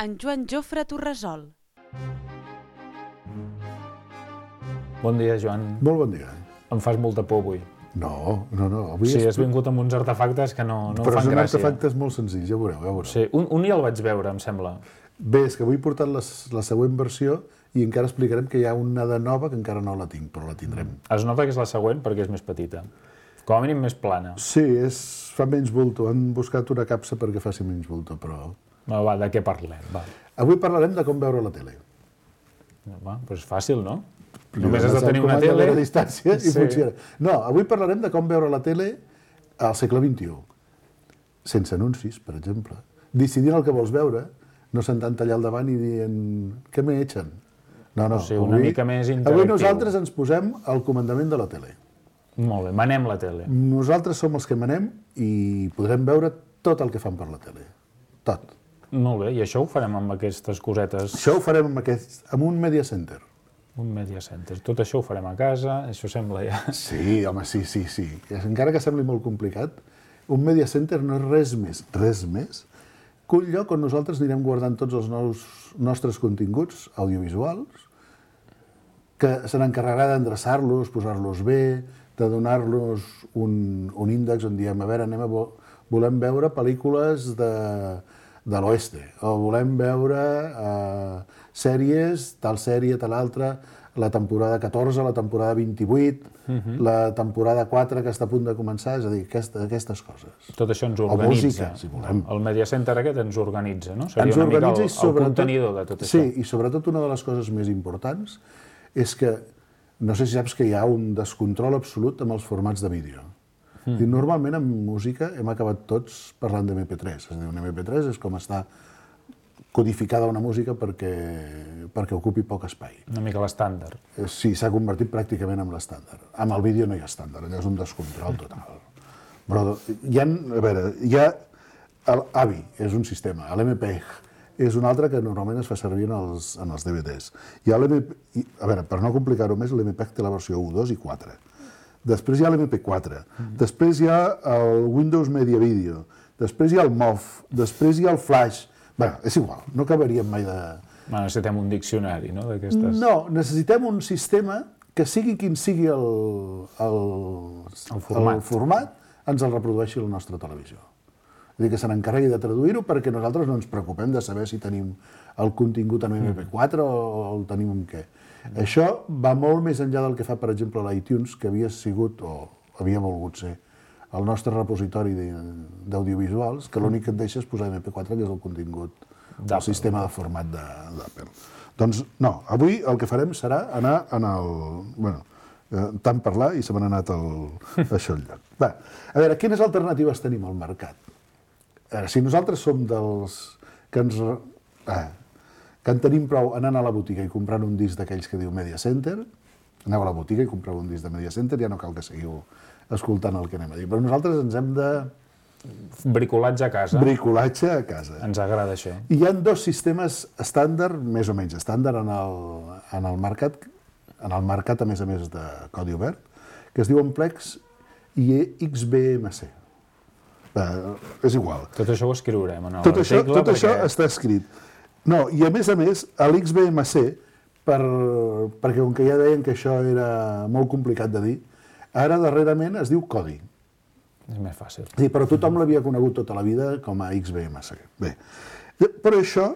Speaker 1: En Joan Jofre Torresol.
Speaker 2: Bon dia, Joan.
Speaker 6: Molt bon dia.
Speaker 2: Em fas molta por avui.
Speaker 6: No.
Speaker 2: Sí, has vingut amb uns artefactes que no fan gràcia.
Speaker 6: Però són artefactes molt senzills, ja veureu.
Speaker 2: Sí, un ja el vaig veure, em sembla.
Speaker 6: Bé, és que avui he portat la següent versió i encara explicarem que hi ha una de nova que encara no la tinc, però la tindrem.
Speaker 2: Es nota que és la següent perquè és més petita. Com a mínim més plana.
Speaker 6: Sí, fa menys bulto. Han buscat una capsa perquè faci menys bulto, però...
Speaker 2: Va, de què parlem? Va.
Speaker 6: Avui parlarem de com veure la tele.
Speaker 2: Va, doncs fàcil, no? Només has de tenir una tele...
Speaker 6: a distància i funciona. No, avui parlarem de com veure la tele al segle XXI. Sense anuncis, per exemple. Decidint el que vols veure, no sentant allà al davant i dient què me echen? No,
Speaker 2: una mica més interactiu.
Speaker 6: Avui nosaltres ens posem al comandament de la tele.
Speaker 2: Molt bé, manem la tele.
Speaker 6: Nosaltres som els que manem i podrem veure tot el que fan per la tele. Tot.
Speaker 2: Molt bé, i això ho farem amb aquestes cosetes?
Speaker 6: Això ho farem amb un media center.
Speaker 2: Un media center. Tot això ho farem a casa, això sembla ja...
Speaker 6: Sí, home, sí. Encara que sembli molt complicat, un media center no és res més, que un lloc on nosaltres anirem guardant tots els nostres continguts audiovisuals, que se n'encarregarà d'endreçar-los, posar-los bé, de donar-los un índex on diem, a veure, volem veure pel·lícules de l'oeste, o volem veure sèries, tal sèrie, tal altra, la temporada 14, la temporada 28, la temporada 4 que està a punt de començar, és a dir, aquestes coses.
Speaker 2: Tot això ens organitza.
Speaker 6: O música, si volem.
Speaker 2: El Media Center aquest ens organitza, no? Seria una mica el contenidor de tot això.
Speaker 6: Sí, i sobretot una de les coses més importants és que, no sé si saps que hi ha un descontrol absolut amb els formats de vídeo. I normalment en música hem acabat tots parlant d'MP3. És a dir, un MP3 és com està codificada una música perquè ocupi poc espai.
Speaker 2: Una mica l'estàndard.
Speaker 6: Sí, s'ha convertit pràcticament en l'estàndard. Amb el vídeo no hi ha estàndard, allò és un descontrol total. Però hi ha l'AVI, és un sistema, l'MPEG és un altre que normalment es fa servir en els DVDs. Hi ha per no complicar-ho més, l'MPEG té la versió 1, 2 i 4. Després hi ha l'MP4, després hi ha el Windows Media Video, després hi ha el MOV, després hi ha el Flash. Bé, és igual, no acabaríem mai de...
Speaker 2: Necessitem un diccionari, no?
Speaker 6: No, necessitem un sistema que sigui quin sigui el format, ens el reprodueixi a la nostra televisió. És a dir, que se n'encarregui de traduir-ho perquè nosaltres no ens preocupem de saber si tenim el contingut en MP4 o el tenim en què. Això va molt més enllà del que fa, per exemple, l'iTunes, que havia sigut, o havia volgut ser, el nostre repositori d'audiovisuals, que l'únic que et deixa és posar MP4, que és el contingut del sistema de format d'Apple. Doncs no, avui el que farem serà anar en el... Bueno, tant parlar i se m'ha anat això al lloc. Va, a veure, quines alternatives tenim al mercat? A veure, si nosaltres som dels que en tenim prou anant a la botiga i comprant un disc d'aquells que diu Media Center, aneu a la botiga i compreu un disc de Media Center, ja no cal que seguiu escoltant el que anem a dir. Però nosaltres ens hem de...
Speaker 2: Bricolatge a casa.
Speaker 6: Bricolatge a casa.
Speaker 2: Ens agrada això.
Speaker 6: I hi ha dos sistemes estàndard, més o menys estàndard, en el mercat, a més de codi obert, que es diuen Plex i XBMC. És igual.
Speaker 2: Tot això ho escriurem en l'article.
Speaker 6: Tot això està escrit. No, i a més, l'XBMC, perquè com que ja deien que això era molt complicat de dir, ara darrerament es diu codi.
Speaker 2: És més fàcil.
Speaker 6: Sí, però tothom l'havia conegut tota la vida com a XBMC. Bé, però això,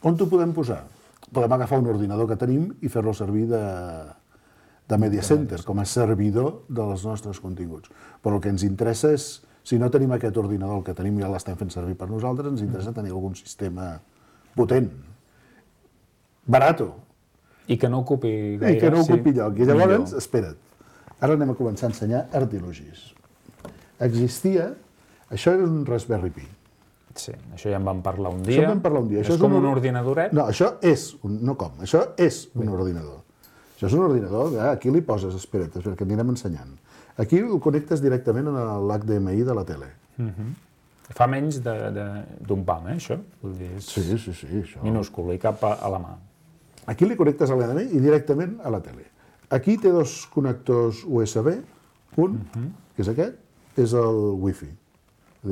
Speaker 6: on t'ho podem posar? Podem agafar un ordinador que tenim i fer-lo servir de Media Center, com a servidor dels nostres continguts. Però el que ens interessa és, si no tenim aquest ordinador, el que tenim ja l'estem fent servir per nosaltres, ens interessa tenir algun sistema potent, barato.
Speaker 2: I que no ocupi gaire.
Speaker 6: I que no ocupi lloc. I llavors, espera't, ara anem a començar a ensenyar artilugis. Existia, això era un Raspberry Pi.
Speaker 2: Sí, això ja en vam parlar un dia.
Speaker 6: Això en vam parlar un dia.
Speaker 2: És com un ordinadoret?
Speaker 6: No, això és, això és un ordinador. Això és un ordinador, aquí li poses, espera't, que anirem ensenyant. Aquí el connectes directament a l'HDMI de la tele.
Speaker 2: Fa menys d'un pam, això?
Speaker 6: Sí, això.
Speaker 2: Minúscul, i cap a la mà.
Speaker 6: Aquí li connectes a l'HDMI i directament a la tele. Aquí té dos connectors USB, un, que és aquest, és el Wi-Fi.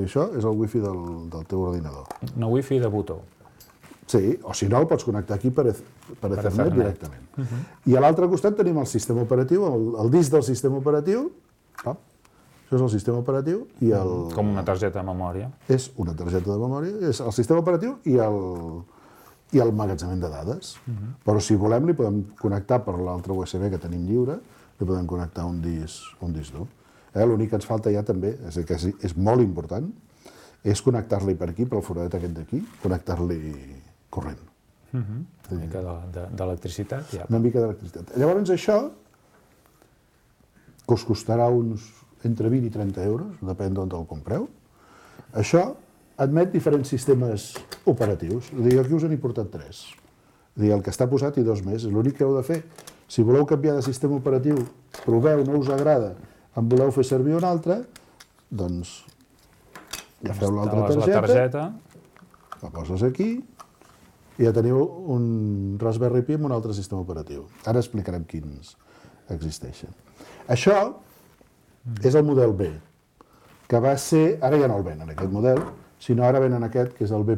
Speaker 6: Això és el Wi-Fi del teu ordinador.
Speaker 2: Una Wi-Fi de botó.
Speaker 6: Sí, o si no, el pots connectar aquí per Ethernet directament. I a l'altre costat tenim el sistema operatiu, el disc del sistema operatiu. Això és el sistema operatiu i el...
Speaker 2: Com una targeta de memòria.
Speaker 6: És una targeta de memòria, és el sistema operatiu i el magatzemament de dades. Però si volem, li podem connectar per l'altre USB que tenim lliure, li podem connectar un disc dur. L'únic que ens falta ja també, que és molt important, és connectar-li per aquí, per el foradet aquest d'aquí, connectar-li corrent.
Speaker 2: Una mica d'electricitat, ja.
Speaker 6: Una mica d'electricitat. Llavors això, que us costarà uns entre 20 i 30 euros, depèn d'on el compreu, això admet diferents sistemes operatius. Aquí us n'he portat 3. El que està posat i 2 més. És l'únic que heu de fer. Si voleu canviar de sistema operatiu, proveu, no us agrada, en voleu fer servir un altre, doncs agafeu l'altra targeta, la poses aquí i ja teniu un Raspberry Pi amb un altre sistema operatiu. Ara explicarem quins existeixen. Això és el model B, que va ser... Ara ja no el venen, aquest model, sinó ara venen aquest, que és el B+.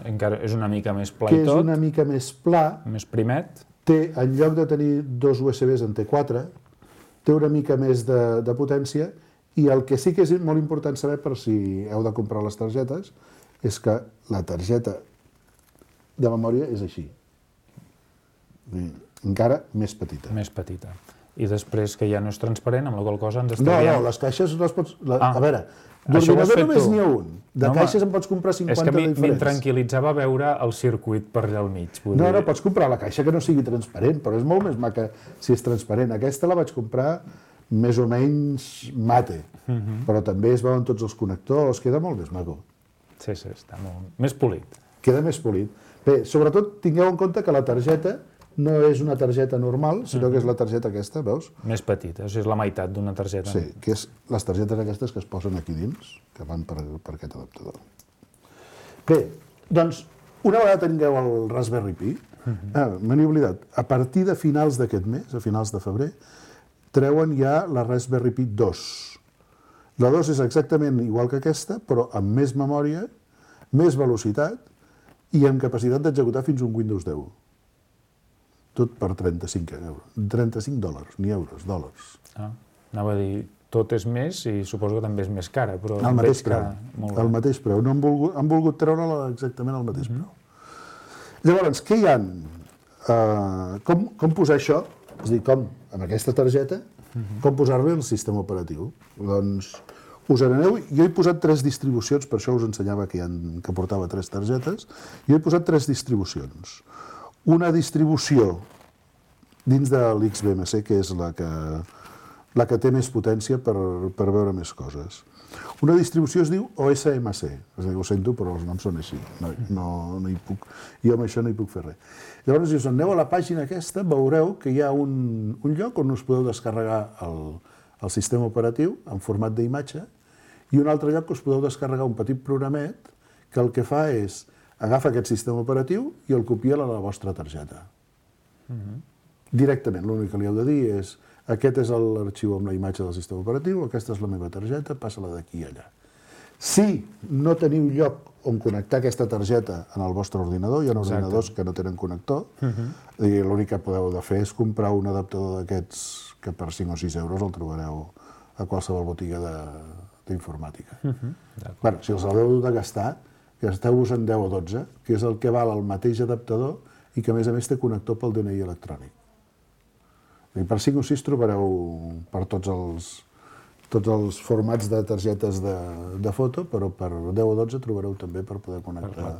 Speaker 2: Encara és una mica més pla i tot.
Speaker 6: Que és una mica més pla.
Speaker 2: Més primet.
Speaker 6: Té, en lloc de tenir 2 USBs en T4, té una mica més de potència i el que sí que és molt important saber per si heu de comprar les targetes és que la targeta de memòria és així. Encara més petita.
Speaker 2: Més petita. I després que ja no és transparent, amb la qual cosa ens estalviem...
Speaker 6: No, les caixes les pots... A veure, d'ordinador només n'hi ha un. De caixes en pots comprar 50 diferents.
Speaker 2: És que m'intranquil·litzava veure el circuit per allà al mig.
Speaker 6: No, pots comprar la caixa que no sigui transparent, però és molt més maca si és transparent. Aquesta la vaig comprar, més o menys mate, però també es veuen tots els connectors, queda molt més maco.
Speaker 2: Sí, està molt més polit.
Speaker 6: Queda més polit. Bé, sobretot tingueu en compte que la targeta no és una targeta normal, sinó que és la targeta aquesta, veus?
Speaker 2: Més petita, és la meitat d'una targeta.
Speaker 6: Sí, que és les targetes aquestes que es posen aquí dins, que van per aquest adaptador. Bé, doncs, una vegada tingueu el Raspberry Pi, me n'he oblidat, a partir de finals d'aquest mes, a finals de febrer, treuen ja la Raspberry Pi 2. La 2 és exactament igual que aquesta, però amb més memòria, més velocitat i amb capacitat d'executar fins un Windows 10. Tot per 35 euros. 35 dòlars, ni euros, dòlars.
Speaker 2: Anava a dir, tot és més i suposo que també és més cara, però
Speaker 6: el mateix preu.
Speaker 2: El
Speaker 6: mateix preu. No han volgut treure exactament el mateix preu. Llavors, què hi ha? Com posar això? És a dir, com, amb aquesta targeta, com posar-li el sistema operatiu? Doncs, us n'aneu... Jo he posat 3 distribucions, per això us ensenyava que portava 3 targetes. Jo he posat 3 distribucions. Una distribució dins de l'XBMC, que és la que té més potència per veure més coses. Una distribució es diu OSMC, és a dir, ho sento, però els noms són així. No hi puc, jo amb això no hi puc fer res. Llavors, si us aneu a la pàgina aquesta, veureu que hi ha un lloc on us podeu descarregar el sistema operatiu en format d'imatge i un altre lloc que us podeu descarregar un petit programet que el que fa és agafa aquest sistema operatiu i el copia a la vostra targeta. Directament, l'únic que li heu de dir és aquest és l'arxiu amb la imatge del sistema operatiu, aquesta és la meva targeta, passa-la d'aquí a allà. Si no teniu lloc on connectar aquesta targeta en el vostre ordinador, hi ha ordinadors que no tenen connector, l'únic que podeu fer és comprar un adaptador d'aquests que per 5 o 6 euros el trobareu a qualsevol botiga d'informàtica. Si els haureu de gastar, gasteu-vos en 10 o 12, que és el que val el mateix adaptador i que a més té connector pel DNI electrònic. Per 5 o 6 trobareu per tots els formats de targetes de foto, però per 10 o 12 trobareu també per poder connectar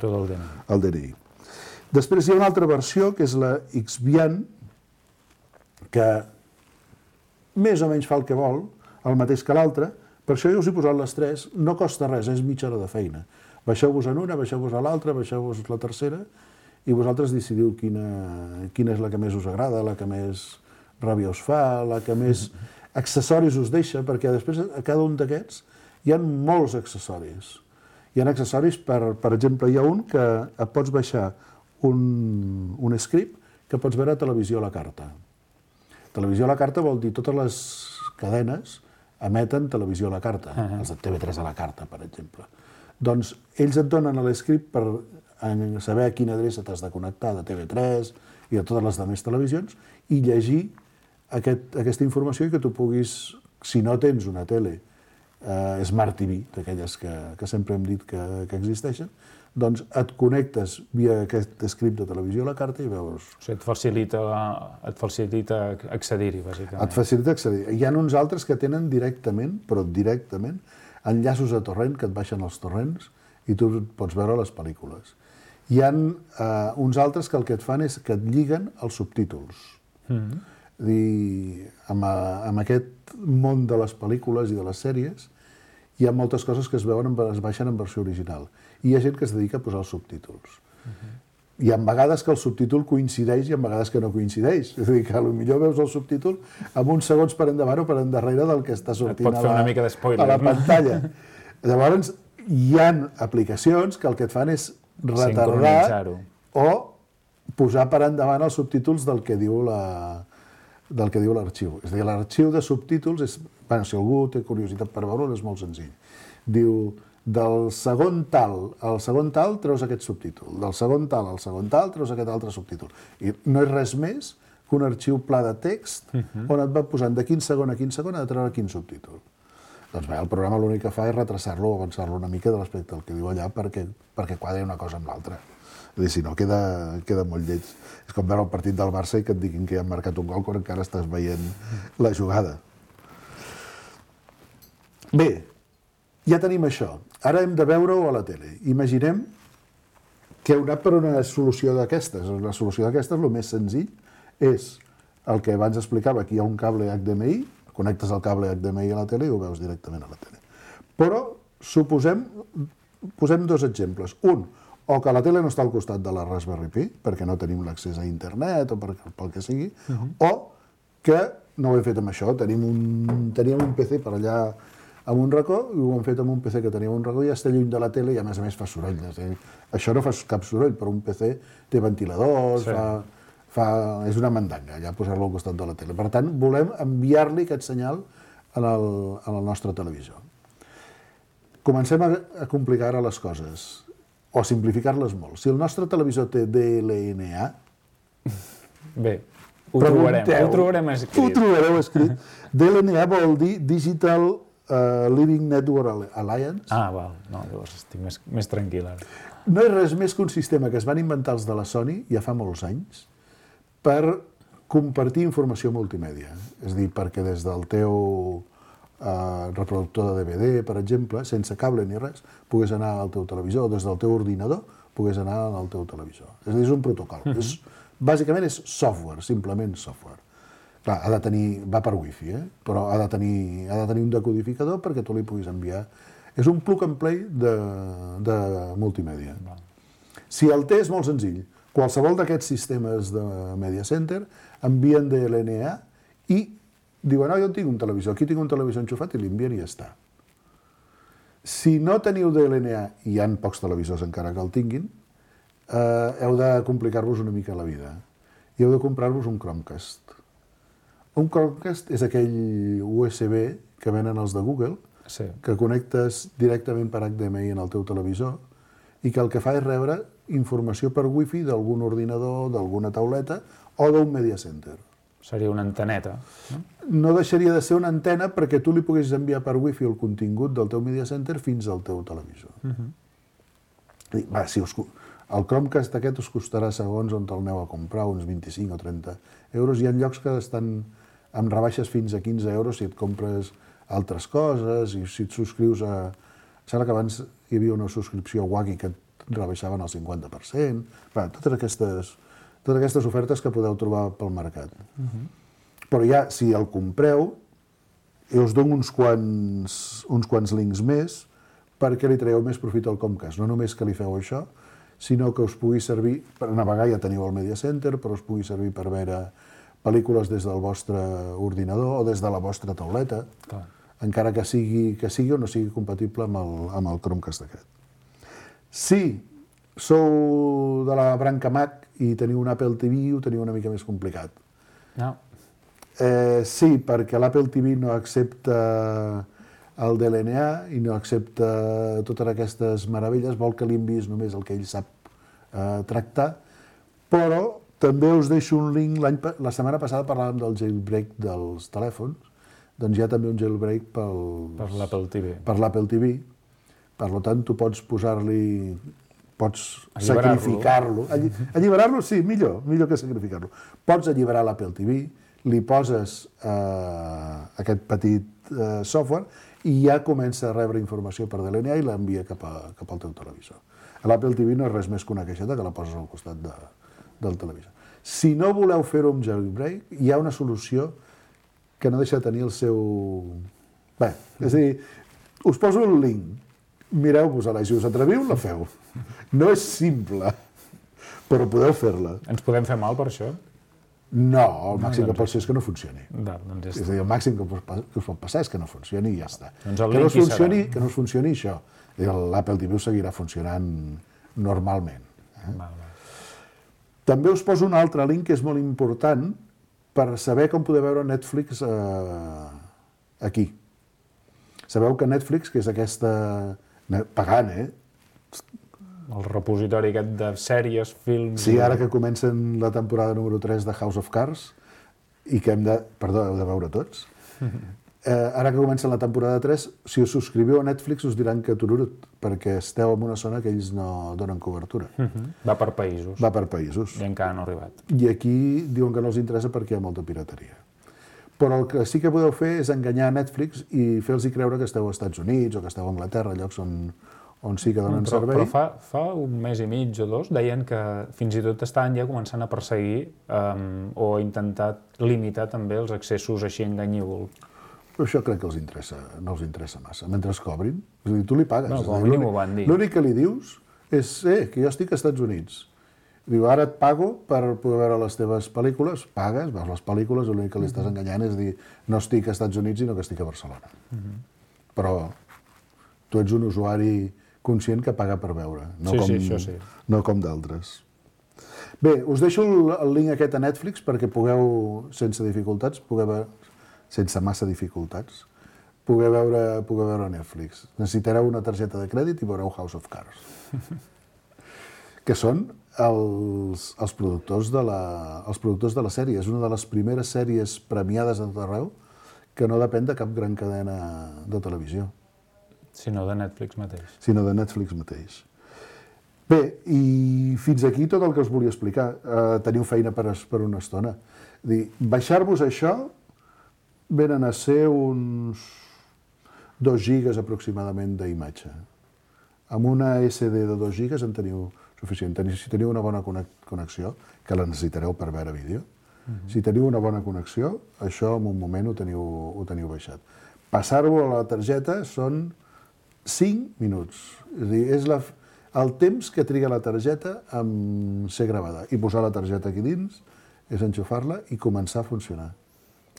Speaker 6: el DNI. Després hi ha una altra versió, que és la Xbian, que més o menys fa el que vol, el mateix que l'altre. Per això jo us he posat les 3, no costa res, és mitja hora de feina. Baixeu-vos en una, baixeu-vos a l'altra, baixeu-vos la tercera i vosaltres decidiu quina és la que més us agrada, la que més ràbia us fa, la que més accessoris us deixa, perquè després a cada un d'aquests hi ha molts accessoris. Hi ha accessoris, per exemple, hi ha un que et pots baixar un script que pots veure a televisió a la carta. Televisió a la carta vol dir totes les cadenes emeten televisió a la carta, els de TV3 a la carta, per exemple. Doncs ells et donen l'escript per saber a quina adreça t'has de connectar de TV3 i de totes les altres televisions i llegir aquesta informació i que tu puguis, si no tens una tele Smart TV, d'aquelles que sempre hem dit que existeixen, doncs et connectes via aquest script de televisió a la carta i veus...
Speaker 2: O sigui, et facilita accedir-hi, bàsicament.
Speaker 6: Et facilita accedir-hi. Hi ha uns altres que tenen directament, però directament, enllaços a torrent que et baixen els torrents i tu pots veure les pel·lícules. Hi ha uns altres que el que et fan és que et lliguen els subtítols. Amb aquest món de les pel·lícules i de les sèries hi ha moltes coses que es baixen en versió original i hi ha gent que es dedica a posar els subtítols. Hi ha vegades que el subtítol coincideix i hi ha vegades que no coincideix. És a dir, que potser veus el subtítol amb uns segons per endavant o per endarrere del que està sortint a la pantalla. Llavors, hi ha aplicacions que el que et fan és retardar o posar per endavant els subtítols del que diu l'arxiu. És a dir, l'arxiu de subtítols, si algú té curiositat per veure'l, és molt senzill. Diu, del segon tal al segon tal treus aquest subtítol, del segon tal al segon tal treus aquest altre subtítol. I no és res més que un arxiu pla de text on et va posant de quin segon a quin segon ha de treure quin subtítol. Doncs bé, el programa l'únic que fa és retrasar-lo o avançar-lo una mica respecte al que diu allà perquè quadri una cosa amb l'altra. És a dir, si no, queda molt lleig. És com veure el partit del Barça i que et diguin que ja han marcat un gol quan encara estàs veient la jugada. Bé, ja tenim això. Ara hem de veure-ho a la tele. Imaginem que heu anat per una solució d'aquestes. La solució d'aquestes, el més senzill, és el que abans explicava. Aquí hi ha un cable HDMI Connectes el cable HDMI a la tele i ho veus directament a la tele. Però posem dos exemples. Un, o que la tele no està al costat de la Raspberry Pi, perquè no tenim l'accés a internet o pel que sigui, o que no ho hem fet amb això. Teníem un PC per allà amb un racó i ho hem fet amb un PC que teníem un racó i ja està lluny de la tele i a més fa soroll. Això no fa cap soroll, però un PC té ventiladors, és una mandanga, ja posar-lo al costat de la tele. Per tant, volem enviar-li aquest senyal al nostre televisor. Comencem a complicar ara les coses, o a simplificar-les molt. Si el nostre televisor té DLNA...
Speaker 2: Bé, ho trobarem escrit.
Speaker 6: Ho trobareu escrit. DLNA vol dir Digital Living Network Alliance.
Speaker 2: Val. No, llavors estic més tranquil ara.
Speaker 6: No és res més que un sistema que es van inventar els de la Sony ja fa molts anys per compartir informació multimèdia. És a dir, perquè des del teu reproductor de DVD, per exemple, sense cable ni res, pogués anar al teu televisor, o des del teu ordinador pogués anar al teu televisor. És a dir, és un protocol. Bàsicament és software, simplement software. Clar, va per wifi, però ha de tenir un decodificador perquè tu li puguis enviar. És un plug and play de multimèdia. Si el té és molt senzill. Qualsevol d'aquests sistemes de Media Center envien DLNA i diuen, jo tinc un televisor, aquí tinc un televisor enxufat i l'envien i ja està. Si no teniu DLNA, i hi ha pocs televisors encara que el tinguin, heu de complicar-vos una mica la vida. I heu de comprar-vos un Chromecast. Un Chromecast és aquell USB que venen els de Google, que connectes directament per HDMI en el teu televisor i que el que fa és rebre informació per wifi d'algun ordinador, d'alguna tauleta o d'un media center.
Speaker 2: Seria una anteneta, no?
Speaker 6: No deixaria de ser una antena perquè tu li poguessis enviar per wifi el contingut del teu media center fins al teu televisor. El Chromecast aquest us costarà, segons on el aneu a comprar, uns 25 o 30 euros. Hi ha llocs que estan amb rebaixes fins a 15 euros si et compres altres coses i si et subscrius a... Sembla que abans hi havia una subscripció a Wacky que et rebaixaven el 50%. Totes aquestes ofertes que podeu trobar pel mercat. Però ja, si el compreu, us dono uns quants links més perquè li traieu més profit al Chromecast. No només que li feu això, sinó que us pugui servir per navegar, ja teniu el Media Center, però us pugui servir per veure pel·lícules des del vostre ordinador o des de la vostra tauleta, encara que sigui o no sigui compatible amb el Chromecast aquest. Si sou de la branca Mac i teniu un Apple TV, ho teniu una mica més complicat.
Speaker 2: No.
Speaker 6: Sí, perquè l'Apple TV no accepta el DLNA i no accepta totes aquestes meravelles, vol que li enviïs només el que ell sap tractar, però també us deixo un link, la setmana passada parlàvem del jailbreak dels telèfons, doncs hi ha també un jailbreak per
Speaker 2: l'Apple TV.
Speaker 6: Per l'Apple TV. Per tant, tu pots posar-li... Pots sacrificar-lo. Alliberar-lo, sí, millor que sacrificar-lo. Pots alliberar l'Apple TV, li poses aquest petit software i ja comença a rebre informació per DLNA i l'envia cap al teu televisor. L'Apple TV no és res més que una caixeta que la poses al costat del televisor. Si no voleu fer-ho amb jailbreak, hi ha una solució que no deixa de tenir el seu... Bé, és a dir, us poso un link, mireu-vos-la i si us atreviu, la feu. No és simple, però podeu fer-la.
Speaker 2: Ens podem fer mal per això?
Speaker 6: No, el màxim que pot ser és que no funcioni.
Speaker 2: És
Speaker 6: a dir, el màxim que us pot passar és que no funcioni i ja està. Que no funcioni això. L'Apple TV us seguirà funcionant normalment. També us poso un altre link que és molt important per saber com podeu veure Netflix aquí. Sabeu que Netflix, que és aquesta... pagant,
Speaker 2: El repositori aquest de sèries, films...
Speaker 6: Sí, ara que comencen la temporada número 3 de House of Cards i que hem de... Perdó, heu de veure tots. Ara que comença la temporada 3, si us subscriviu a Netflix us diran que tururut, perquè esteu en una zona que ells no donen cobertura.
Speaker 2: Va per països.
Speaker 6: Va per països.
Speaker 2: I encara no ha arribat.
Speaker 6: I aquí diuen que no els interessa perquè hi ha molta pirateria. Però el que sí que podeu fer és enganyar Netflix i fer-los creure que esteu als Estats Units o que esteu a Anglaterra, llocs on sí que donen servei.
Speaker 2: Però fa un mes i mig o dos deien que fins i tot estaven ja començant a perseguir o a intentar limitar també els accessos així enganyibles.
Speaker 6: Però això crec que no els interessa massa. Mentre es cobrin, és a dir, tu li pagues.
Speaker 2: No, com a mínim ho van dir.
Speaker 6: L'únic que li dius és que jo estic als Estats Units. Diu, ara et pago per poder veure les teves pel·lícules, pagues, veus les pel·lícules, l'únic que li estàs enganyant és dir, no estic als Estats Units, sinó que estic a Barcelona. Però tu ets un usuari conscient que paga per veure, no com d'altres. Bé, us deixo el link aquest a Netflix perquè pugueu, sense massa dificultats, poder veure Netflix. Necessitareu una targeta de crèdit i veureu House of Cards, que són els productors de la sèrie. És una de les primeres sèries premiades a tot arreu que no depèn de cap gran cadena de televisió.
Speaker 2: Sinó de Netflix mateix. Bé, i fins aquí tot el que us volia explicar. Teniu feina per una estona. Baixar-vos això venen a ser uns 2 gigas aproximadament d'imatge. Amb una SD de 2 gigas en teniu suficient. Si teniu una bona connexió, que la necessitareu per veure vídeo, si teniu una bona connexió, això en un moment ho teniu baixat. Passar-ho a la targeta són 5 minuts. És a dir, és el temps que triga la targeta en ser gravada. I posar la targeta aquí dins és enxufar-la i començar a funcionar.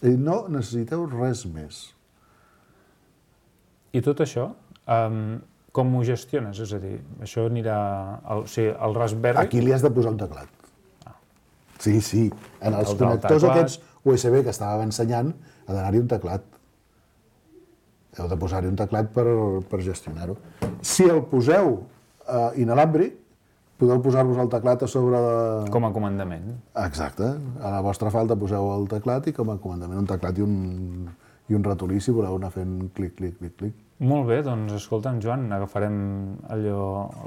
Speaker 2: És a dir, no necessiteu res més. I tot això, com ho gestiones? És a dir, això anirà al Raspberry?
Speaker 6: Aquí li has de posar un teclat. Sí. En els connectors aquests USB que estàvem ensenyant ha d'anar-hi un teclat. Heu de posar-hi un teclat per gestionar-ho. Si el poseu inalàmbric, podeu posar-vos el teclat a sobre de...
Speaker 2: Com a comandament.
Speaker 6: Exacte. A la vostra falda poseu el teclat i com a comandament un teclat i un ratolí si voleu anar fent clic, clic, clic, clic.
Speaker 2: Molt bé, doncs escolta'm, Joan, agafarem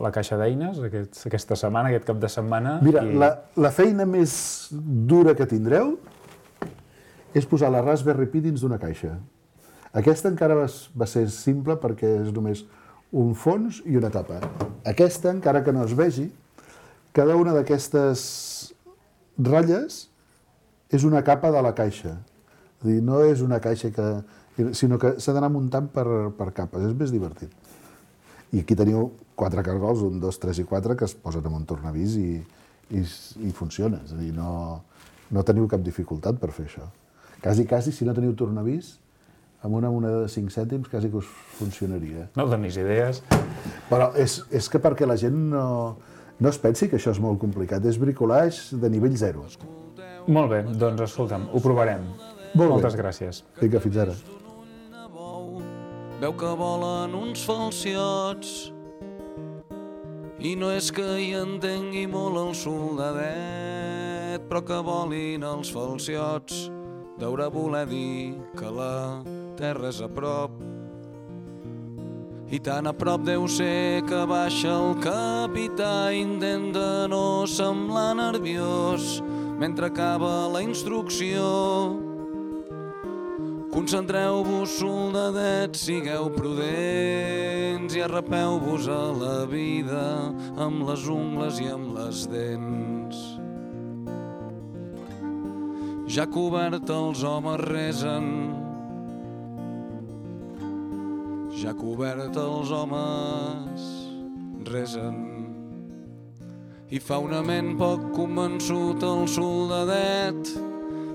Speaker 2: la caixa d'eines aquesta setmana, aquest cap de setmana.
Speaker 6: Mira, la feina més dura que tindreu és posar la Raspberry Pi dins d'una caixa. Aquesta encara va ser simple perquè és només un fons i una tapa. Aquesta, encara que no es vegi, cada una d'aquestes ratlles és una capa de la caixa. És a dir, no és una caixa sinó que s'ha d'anar muntant per capes. És més divertit. I aquí teniu 4 cargols, 1, 2, 3 i 4, que es posen en un tornavís i funciona. És a dir, no teniu cap dificultat per fer això. Quasi, si no teniu tornavís, amb una moneda de 5 cèntims quasi que us funcionaria.
Speaker 2: No donis idees.
Speaker 6: Però és que perquè la gent no es pensi que això és molt complicat. És bricolage de nivell 0.
Speaker 2: Molt bé, doncs escolta'm, ho provarem. Moltes gràcies.
Speaker 6: Vinga, fins ara.
Speaker 7: Veu que volen uns falciots i no és que hi entengui molt el soldadet, però que volin els falciots deurà voler dir que la terra és a prop. I tan a prop deu ser que baixa el capità i intenta no semblar nerviós mentre acaba la instrucció. Concentreu-vos, soldadets, sigueu prudents i arrapeu-vos a la vida amb les ungles i amb les dents. Ja cobert els homes resen, ja cobert els homes resen. I fa una ment poc convençut el soldadet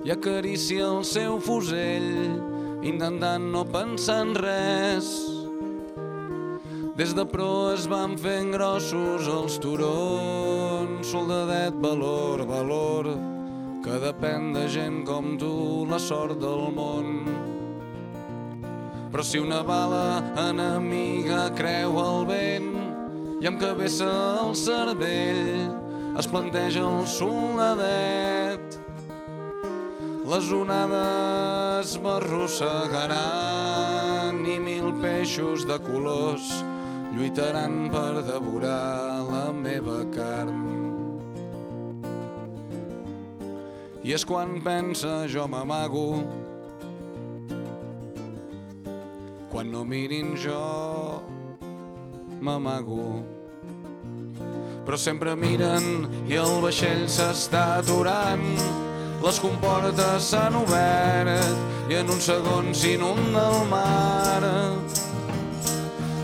Speaker 7: i acaricia el seu fusell, intentant no pensar en res. Des de proa es van fent grossos els turons. Soldadet, valor, valor, que depèn de gent com tu la sort del món. Però si una bala enemiga creu el vent i amb cabeza al cervell es planteja el soldadet, les onades m'arrossegaran i 1000 peixos de colors lluitaran per devorar la meva carn. I és quan pensa jo m'amago, quan no mirin jo m'amago. Però sempre miren i el vaixell s'està aturant. les comportes s'han obert i en un segon s'inunda el mar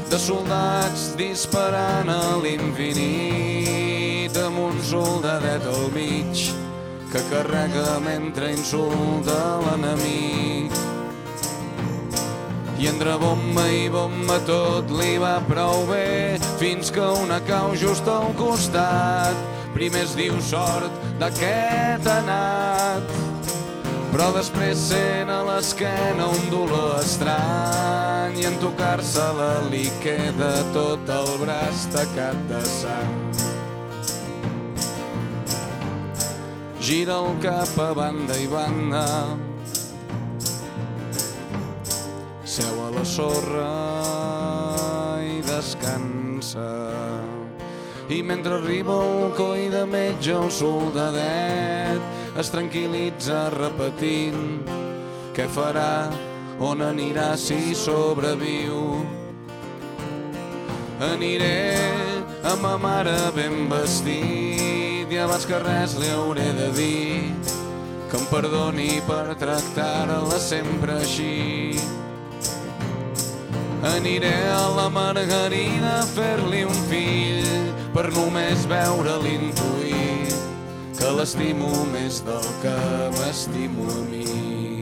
Speaker 7: de soldats disparant a l'infinit amb un soldadet al mig que carrega mentre insulta l'enemic. I entre bomba i bomba tot li va prou bé fins que una cau just al costat. Primer es diu sort d'aquest anat, però després sent a l'esquena un dolor estrany i en tocar-se-la li queda tot el braç tacat de sang. Gira el cap a banda i banda, seu a la sorra i descansa. I mentre arriba el coi de metge, el soldadet es tranquil·litza repetint què farà, on anirà si sobreviu. Aniré amb ma mare ben vestit i abans que res li hauré de dir que em perdoni per tractar-la sempre així. Aniré a la Margarida a fer-li un fill per només veure-li intuir que l'estimo més del que m'estimo a mi.